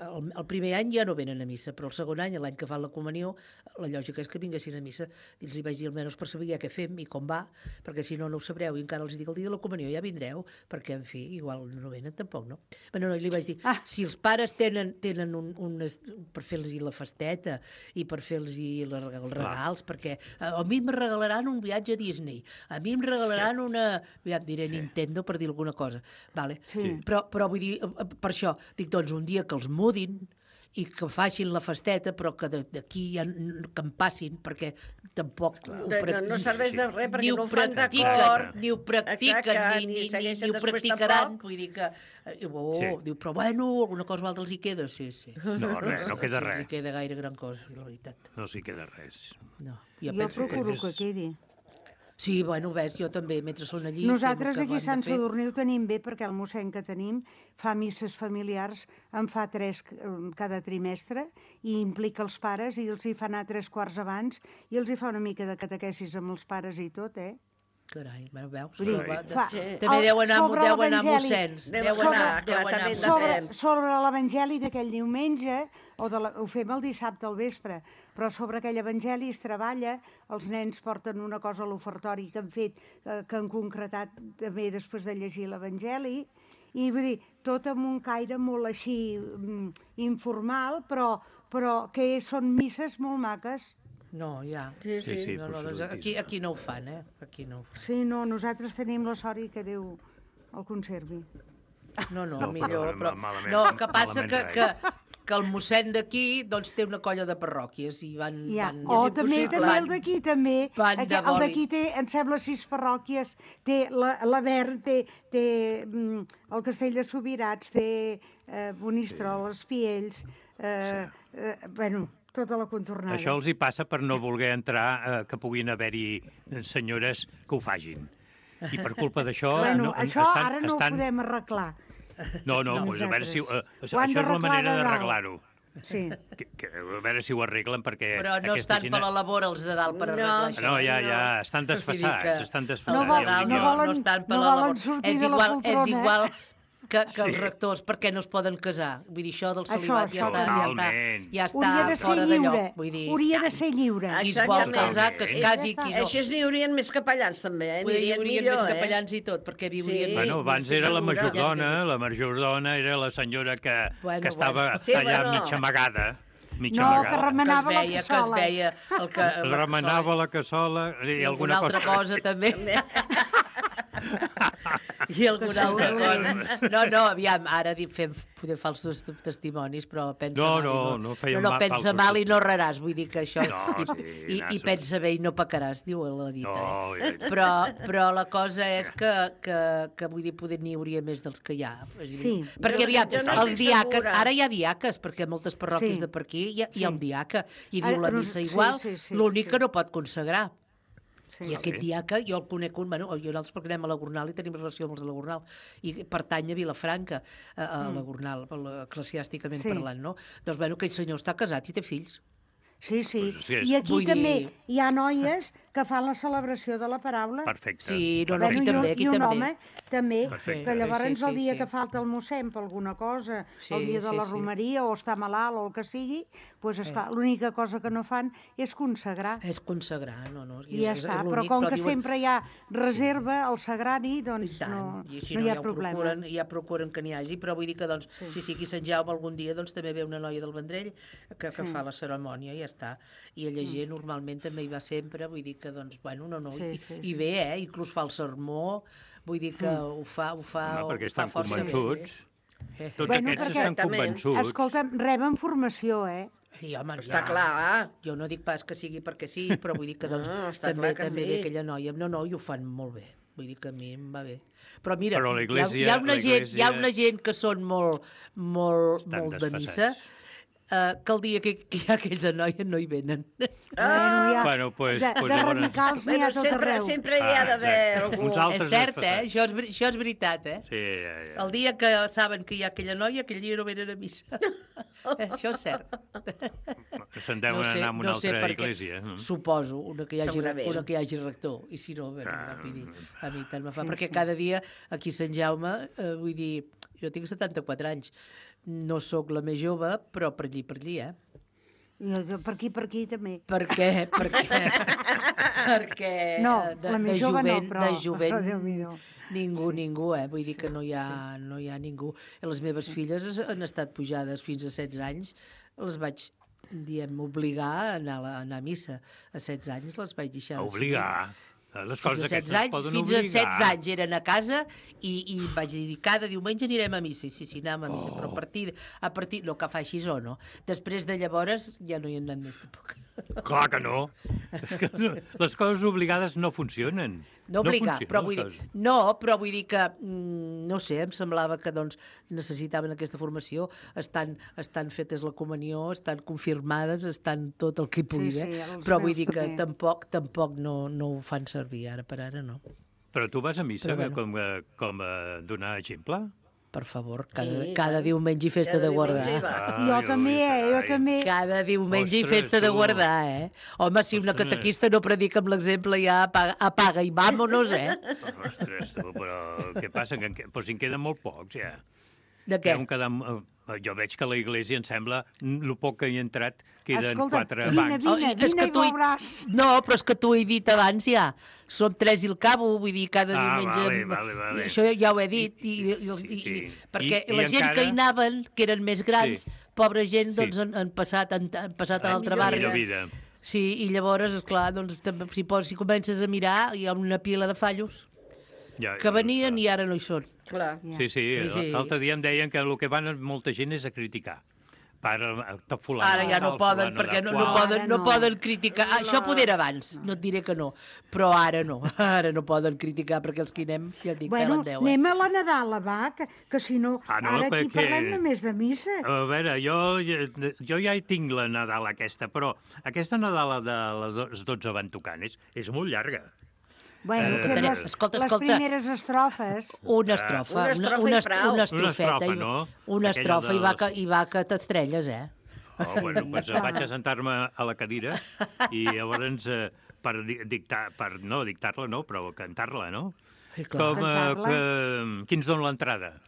el, el primer any ja no venen a missa, però el segon any, l'any que fan la comunió, la lògica és que vinguessin a missa. I els hi vaig dir, almenys per saber ja què fem i com va, perquè si no, no ho sabreu. I encara els dic, el dia de la comunió ja vindreu, perquè, en fi, igual no venen tampoc, no? Bueno, no, i li vaig dir, ah. si els pares tenen, tenen un, unes, per fer-los la festeta i per fer-los els regals, perquè eh, a mi em regalaran un viatge a Disney, a mi em regalaran sí. una, ja em diré sí. Nintendo per dir alguna cosa, vale? Sí. Però, però vull dir, eh, per això, dic, doncs un dia que els mudin i que facin la festeta, però que de- d'aquí ja n- que en passin, perquè tampoc ho De- no- prac- no serveix de res, perquè ni ho no ho fan practiquen, d'acord. ni ho practiquen, Exacte, ni, ni ni, ni, segueixen ni ho després practicaran. tampoc. Vull dir que... eh, Oh, Sí. diu, però bueno, alguna cosa o altra els hi queda, sí, sí. No, res, no queda Sí, res. els hi queda gaire gran cosa, la veritat. No s'hi queda res. No, Jo, jo penso procuro que... que quedi. Sí, bueno, ves, jo també, mentre són allí... Nosaltres fem el que aquí a han Sant de fer. Sadurní ho tenim bé perquè el mossèn que tenim fa misses familiars, en fa tres eh, cada trimestre i implica els pares i els hi fa anar tres quarts abans i els hi fa una mica de catequesis amb els pares i tot, eh? Carai, veus? Vull dir, Va, fa, també deu anar, deu anar mossens. Deu anar, clar, també sobre, sobre l'evangeli d'aquell diumenge, o de la, ho fem el dissabte al vespre, però sobre aquell evangeli es treballa, els nens porten una cosa a l'ofertori que han fet, que, que han concretat també després de llegir l'evangeli, i vull dir, tot amb un caire molt així mm, informal, però, però que són misses molt maques. No, ja. Sí, sí. sí, sí no, no, doncs aquí, aquí no ho fan, eh? Aquí no ho fan. Sí, no, nosaltres tenim la sort i que Déu el conservi. No, no, no millor, però... Malament, no, que passa que, rai. que, que el mossèn d'aquí doncs, té una colla de parròquies i van... Ja. van O també, també el d'aquí, també. Van de el d'aquí té, em sembla, sis parròquies. Té la, la Vern, té, té mm, el Castell de Subirats, té eh, Monistrol, els Piells... Eh, eh, bueno... tota la contornada. Això els hi passa per no voler entrar, eh, que puguin haver-hi senyores que ho fagin. I per culpa d'això... Bueno, no, això estan, ara no estan... ho podem arreglar. No, no, no pues a veure si... Uh, això és la manera d'arreglar-ho. Sí. Que, que, a veure si ho arreglen, perquè... Però no estan gent... per la labor els de dalt per No, arreglar això. No, ja, ja, estan desfassats, estan desfassats. No, vol, ja no, volen, no estan per no la volen labor. sortir És de la igual, poltrona. és igual que, que Sí. els rectors, per què no es poden casar? Vull dir, això del Això, celibat això ja està, ja està, totalment. ja està Hauria de ser fora de lliure. lloc. Vull dir, Hauria de ser lliure. qui es vol Exactament. casar, que es casi, qui no. Així n'hi haurien més capellans, també, eh? Vull dir, hi N'hi haurien millor, més eh? capellans i tot, perquè viurien Sí. més. Bueno, abans sí, era la segura. majordona, la majordona era la senyora que, Bueno, que estava bueno. Sí, allà bueno. mitja amagada. Mitja No, que amagada. remenava que es veia, la que es cassola. veia el que, la Remenava la cassola i, i alguna alguna altra cosa, també. I alguna altra cosa. No, no, aviam, ara dic, fem, podem falsos testimonis, però pensa No, mal. i no, no fèiem no, no, ma- pensa falsos mal i no raràs, vull dir que això... No, i, sí, i, i nassos. pensa bé i no pecaràs, diu la dita. No, eh? ja- però, però la cosa és que, que, que vull dir, poder n'hi hauria més dels que hi ha. És a dir, Sí. Perquè, Jo- aviam, jo no els estic diaques, segura. ara hi ha diaques, perquè a moltes parròquies Sí. de per aquí hi ha, hi ha Sí. un diaca, i Ah, diu la no, missa sí, igual, sí, sí, l'únic sí. que no pot consagrar. Sí. I aquest diaca, jo el conec un, bueno, jo nosaltres perquè anem a la Gornal i tenim relació amb els de la Gornal, i pertany a Vilafranca, a, a la Gornal, eclesiàsticament Sí. parlant, no? Doncs, bueno, aquell senyor està casat i té fills. Sí, sí. Pues sí, és- I aquí Vull també dir- hi ha noies que fan la celebració de la paraula. Perfecte. Sí, no, no, aquí Bueno, i un- també, aquí I un també. home, també, Perfecte. que llavors Sí, sí, el dia sí. que falta el mossèn per alguna cosa, Sí, el dia de sí, la sí. romeria, o està malalt o el que sigui, doncs, esclar, l'única cosa que no fan és consagrar. És consagrar, no, no. I ja és, està, és però l'únic, com que diuen- sempre hi ha reserva al sagrari, I doncs tant, no, i així no no, hi ha ja ho problema. procuren, ja procuren que n'hi hagi, però vull dir que, doncs, sí, sí, sí aquí Sant Jaume algun dia doncs, també ve una noia del Vendrell que, que Sí. fa la cerimònia i ja està. I ella gent normalment també hi va sempre, vull dir que, doncs, bueno, no, no, Sí, i, sí, i sí. bé, eh, inclús fa el sermó, vull dir que ho fa, ho fa, Home, perquè ho estan fa força bé. convençuts. Eh. Tots Bueno, aquests perquè- estan Exactament. convençuts. Escolta'm, reben formació, eh? I, home, Està ja, clar, eh? Jo no dic pas que sigui perquè sí, però vull dir que doncs, No, està també, clar que també sí. ve aquella noia. No, no, i ho fan molt bé. Vull dir que a mi em va bé. Però mira, Però hi, la ha, Iglésia- hi, ha una la gent, hi ha Iglésia- una gent que són molt, molt, Estan molt de missa, desfasats. eh, que el dia que, que hi ha aquella noia no hi venen. Bueno, hi ha- Bueno, pues- de, pues de llavors- radicals n'hi ha Bueno, tot sempre, arreu. sempre hi ha Ah, d'haver exacte. algú. Uns altres És cert, eh? desfasats. Això és, ver- això és veritat, eh? Sí, ja, ja. El dia que saben que hi ha aquella noia, aquell dia no venen a missa. eh, això és cert. Se'n deuen anar a una altra per què. església. no? Suposo, una que hi hagi, Segurament. una que hi hagi rector. I si no, bueno, Ah, vull dir, a mi tant me fa. sí, perquè sí. cada dia aquí a Sant Jaume, eh, vull dir, jo tinc setanta-quatre anys, no sóc la més jove, però per allí, per allí, eh? Jo, per aquí, per aquí, també. Per què? Perquè, perquè No, eh, de, la més de jove no, jovent, però- de jovent, però Déu-n'hi-do. ningú, ningú, eh? Vull dir que no hi ha, no hi ha ningú. I les meves filles es- han estat pujades fins a setze anys, les vaig, diem, obligar a anar a, la, a anar a missa. A setze anys les vaig deixar. A de obligar. Les Fins coses a aquestes setze es anys, poden fins obligar. a setze anys eren a casa i, i vaig dir, cada diumenge anirem a missa. I sí, sí, anàvem a missa, Oh. però a partir, a partir, no que fa així o no. Després de llavors ja no hi hem anat més tampoc. Clar que no. És que no. Les coses obligades no funcionen. No obligar, funcionen, però vull les dir, coses. no, però vull dir que, mm, no sé, em semblava que doncs, necessitaven aquesta formació, estan, estan fetes la comunió, estan confirmades, estan tot el que hi pugui Sí, haver, sí, els però vull meus dir que també. tampoc, tampoc no, no ho fan servir ara per ara, no. Però tu vas a missa Però bueno. com, a- com a donar exemple? per favor, cada, sí, cada diumenge i festa de guardar. Ah, jo també, eh, jo també. Cada diumenge i festa de guardar, eh? Home, si una catequista no predica amb l'exemple, ja apaga, apaga i vámonos, eh? Ostres, tu, però què passa? Que en, però si en queden molt pocs, ja. De què? Quedar, jo veig que a la iglesia em sembla, el poc que hi ha entrat, queden Escolta, quatre vine, bancs. vine, Oh, vine i veuràs. No, però és que t'ho he dit abans ja. Som tres i el cabo, vull dir, cada Ah, diumenge... vale, vale, vale. Això ja ho he dit. I, i, i, Sí, sí. i, perquè I- i la gent encara- que hi anaven, que eren més grans, Sí. pobra gent, Sí. doncs han, han passat, han, han passat a Ah, l'altra millor barra. vida. Sí, i llavors, esclar, doncs, també, si, pos, si comences a mirar, hi ha una pila de fallos Ja, que venien i ara no hi són. Clar. Sí, sí, Sí. l'altre dia em deien que el que van molta gent és a criticar. Per tot fulano. Ara ja no tal, poden, fulano perquè de no, qual. no, poden, no no. poden criticar. Ah, això poder abans, no et diré que no. Però ara no, ara no poden criticar, perquè els que anem, ja et dic, Bueno, pelen deu. Eh? anem a la Nadala, va, que, que si no, Ah, no, ara aquí perquè- parlem només de missa. A veure, jo, jo ja hi tinc la Nadal aquesta, però aquesta Nadala de les dotze van tocant és, és molt llarga. Bueno, Eh, fem les, escolta, les escolta. primeres estrofes. Una estrofa, Una estrofa una, i una, prou. una estrofeta, Una estrofa, i- no? una Aquella estrofa i, de va les- que, i va que t'estrelles, eh? Oh, bueno, doncs vaig a sentar-me a la cadira i llavors eh, per di- dictar, per no dictar-la, no, però cantar-la, no? Sí, clar. Com, eh, Cantar-la. que, qui ens dona l'entrada?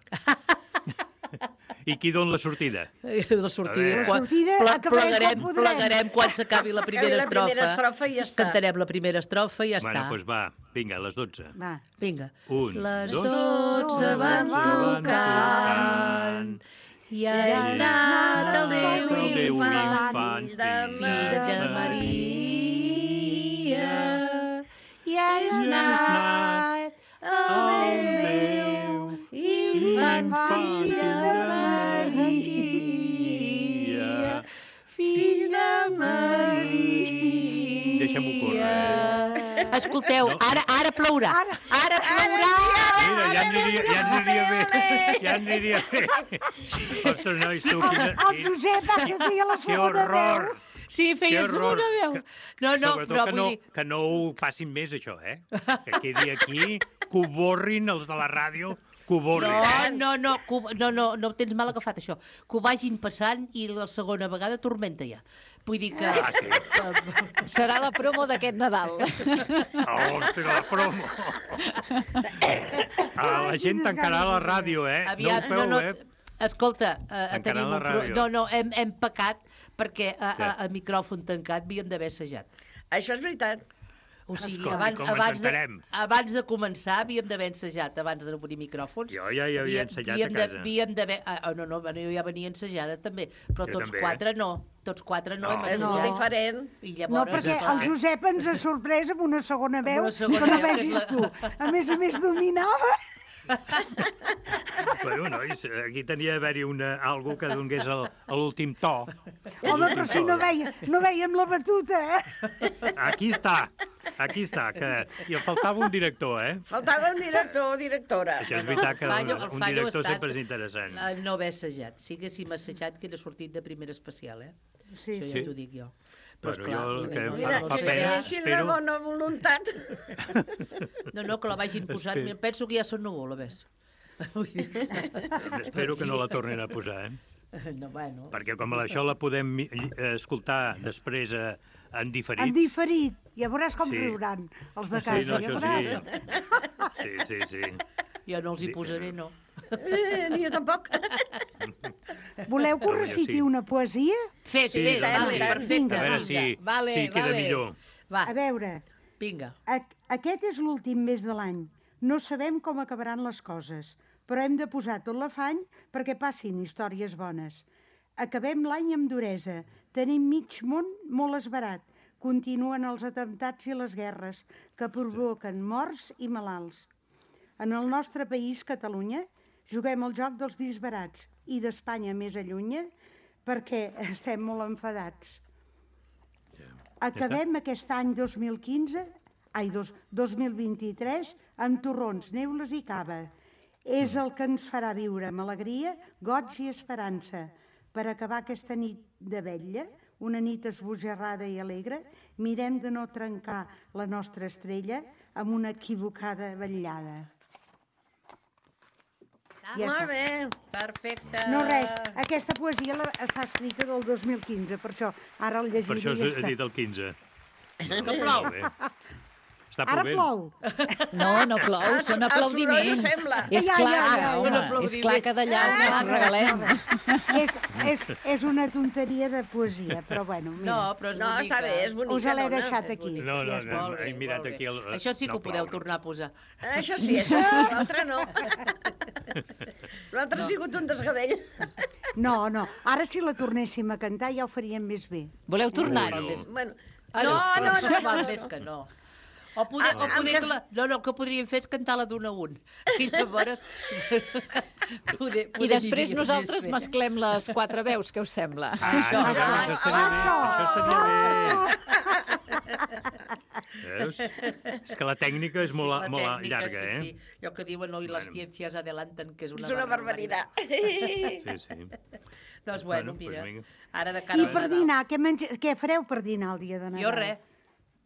I qui dona la sortida? La sortida, La quan, sortida ple- acabarem plegarem, quan podrem. plegarem quan s'acabi la S'acabi primera la estrofa. primera estrofa i ja està. Cantarem la primera estrofa i ja Bueno, està. doncs va, vinga, a les dotze. Va. Vinga. Un, Les dos, dotze van tocant i ha estat el Déu Déu infant, infant, fill de Maria, i ha estat el Déu infant, fill de Maria, fill de Maria. Deixa'm-ho córrer. Escolteu, No. ara, ara plourà. Ara, ara plourà. Mira, ja aniria, ja aniria bé. Ja aniria bé. Ostres, nois, tu, quina... El Josep va que feia la Que segona horror! veu. Sí, Que feia horror! segona veu. Que- No, no, Sobretot però que vull no, dir... que no ho passin més, això, eh? Que quedi aquí, que ho borrin els de la ràdio, que ho borrin. No, no, no, que ho- no, no, no ho tens mal agafat, això. Que ho vagin passant i la segona vegada tormenta ja. Vull dir que... Ah, sí? Serà la promo d'aquest Nadal. Ah, ostres, la promo! Ah, la gent tancarà la ràdio, eh? Aviat, no ho feu, no, no, eh? Escolta, eh, Tancaran tenim la un pro... ràdio. No, no, hem, hem pecat perquè a, a, Què? a micròfon tancat havíem d'haver assajat. Això és veritat. O sigui, Escolti, abans, com ens abans, de, entenem? abans de començar havíem d'haver ensajat, abans d'obrir micròfons. Jo ja hi havia Havíem- ensajat a havíem de- casa. Havíem d'haver... Ah, oh, no, no, bueno, jo ja venia ensajada també, però Jo tots també. quatre no. Tots quatre no, No. hem És molt assajat. diferent. I No, llavors... perquè el Josep ens ha sorprès amb una segona veu una segona que no veu, que és vegis la- tu. A més a més, dominava. Bueno, nois, aquí tenia d'haver-hi una, algú que donés el- l'últim to. Home, però si no, veia, no veiem la batuta, eh? Aquí està, aquí està, que hi faltava un director, eh? Faltava un director o directora. Això és veritat que El fallo- un, el un fallo director ha estat sempre és interessant. el no haver assajat. Si haguéssim assajat, que era sortit de primera especial, eh? Sí, Això sí. ja t'ho dic jo. Però, Bueno, esclar, jo el vull que dir, em no, Mira, no, fa si no, pena, tinguessin la espero- bona voluntat. no, no, que la vagin posant. Espero. Penso que ja són núvol, a més. Espero que no la tornin a posar, eh? No, bueno. Perquè com això la podem mi- eh, escoltar després eh, en diferit... En diferit. Ja veuràs com Sí. riuran els de Sí, casa. no, ja això veuràs. sí. Sí, sí, sí. Jo no els hi posaré, no. Eh, ni jo tampoc. Voleu que us Però jo reciti sí. una poesia? Fes, Sí, fes, doncs vale, sí. perfecte. A veure vinga. si, vale, si queda vale. millor. Va, A veure, vinga. a- aquest és l'últim mes de l'any. No sabem com acabaran les coses, però hem de posar tot l'afany perquè passin històries bones. Acabem l'any amb duresa. Tenim mig món molt esbarat. Continuen els atemptats i les guerres que provoquen morts i malalts. En el nostre país, Catalunya, juguem el joc dels disbarats i d'Espanya més allunya perquè estem molt enfadats. Acabem aquest any dos mil quinze, ai, dos, dos mil vint-i-tres, amb torrons, neules i cava. És el que ens farà viure amb alegria, goig i esperança. Per acabar aquesta nit de vetlla, una nit esbojarrada i alegre, mirem de no trencar la nostra estrella amb una equivocada vetllada. Ah, ja molt bé. Perfecte. No, res, aquesta poesia la, està escrita del dos mil quinze, per això ara el llegiré Per això i ja has està. dit el quinze. Que plou. Està Ara plovent. plou. No, no plou, són El soroll aplaudiments. ho sembla. És Ja, clar, ja, ja, home, són és clar que d'allà Ah, ens regalem. És, és, és una tonteria de poesia, però bueno, mira. No, però és No, bonica. està bé, és bonica. Us l'he dona. deixat aquí. No, no, Ja no, està. Molt bé, he mirat molt bé. aquí el... Això sí que no ho podeu plou. tornar a posar. Això sí, això sí, l'altre no. L'altre ha sigut un desgavell. No, no, ara si la tornéssim a cantar ja ho faríem més bé. Voleu tornar-hi? Ui, no. Bueno, Ah, no, no, no. Val més que no. O poder, Ah, o poder amb que la, no, no, el que podríem fer és cantar-la d'un a un. I llavors... poder, I poder després aniria nosaltres més bé. mesclem les quatre veus, què us sembla? Ah, això, això estaria bé, això estaria bé. Veus? És que la tècnica és molt, La molt tècnica, llarga, sí, eh? Sí. Allò que diuen hoy las Bueno. ciencias adelantan, que és una, És una barbaritat. Sí, sí. Doncs bueno, Bueno, mira, pues vinga. ara de cara I al per Nadal. dinar, què, menja... què fareu per dinar el dia de Nadal? Jo res.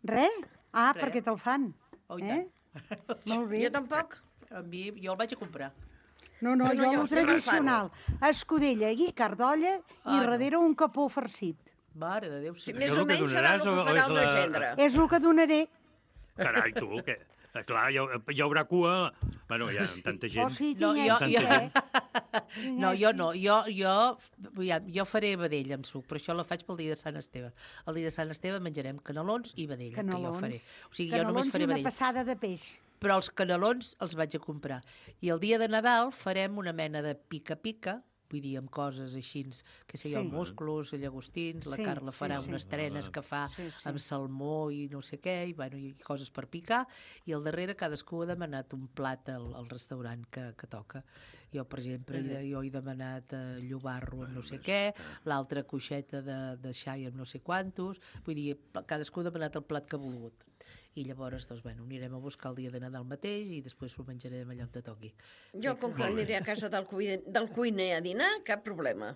Res? Ah, Res. perquè te'l fan. Oh, i eh? Molt bé. Jo tampoc. A mi, jo el vaig a comprar. No, no, No, jo no, el jo sempre el tradicional. Escudella i cardolla i Ah, no. darrere un capó farcit. Mare de Déu, sí. Sí, Això més és o el que menys serà el donaràs que o- o farà és el meu la- gendre. És el que donaré. Carai, tu, què? Eh, Clar, hi, ha- hi haurà cua... Bueno, hi ha tanta gent. O sigui, No, tinc jo, èxit, jo, eh? no, jo no. Jo, jo, ja, jo faré vedella amb suc, però això la faig pel dia de Sant Esteve. El dia de Sant Esteve menjarem canelons i vedella, que jo Canelons. faré. O sigui, jo només Canelons i faré una vedella. passada de peix. Però els canelons els vaig a comprar. I el dia de Nadal farem una mena de pica-pica, vull dir, amb coses així, que sé jo, Sí. musclos, llagostins, la Sí, Carla farà sí, sí. unes trenes que fa Sí, sí. amb salmó i no sé què, i, bueno, i coses per picar, i al darrere cadascú ha demanat un plat al, al restaurant que, que toca. Jo, per exemple, he, jo he demanat eh, llobarro amb no sé què, l'altra coixeta de, de xai amb no sé quantos, vull dir, cadascú ha demanat el plat que ha volgut. I llavors, doncs, bueno, anirem a buscar el dia de Nadal mateix i després ho menjarem allà on te toqui. Jo, com que aniré a casa del, cuiner, del cuiner a dinar, cap problema.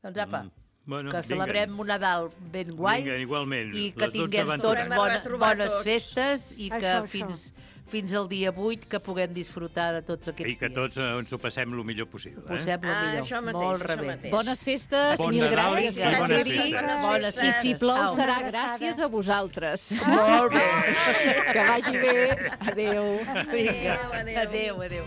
Doncs apa, Mm. Bueno, que vinga. celebrem un Nadal ben guai. Vinga, igualment. I que Les dotze tinguem van tots tocant. bona, Tornem a retrobar bones tots. festes i que Això, això. fins, fins al dia vuit que puguem disfrutar de tots aquests I que dies. tots eh, ens ho passem el millor possible. Eh? Posem el Ah, millor. això mateix, Molt això rebé. mateix. Bones festes, Bon mil Nadal gràcies i per bones ser-hi. festes. Bones I si plou Au. serà Una gràcies a vosaltres. Molt bé. Que vagi bé. Adéu. Vinga, Adéu, adéu. adéu, adéu.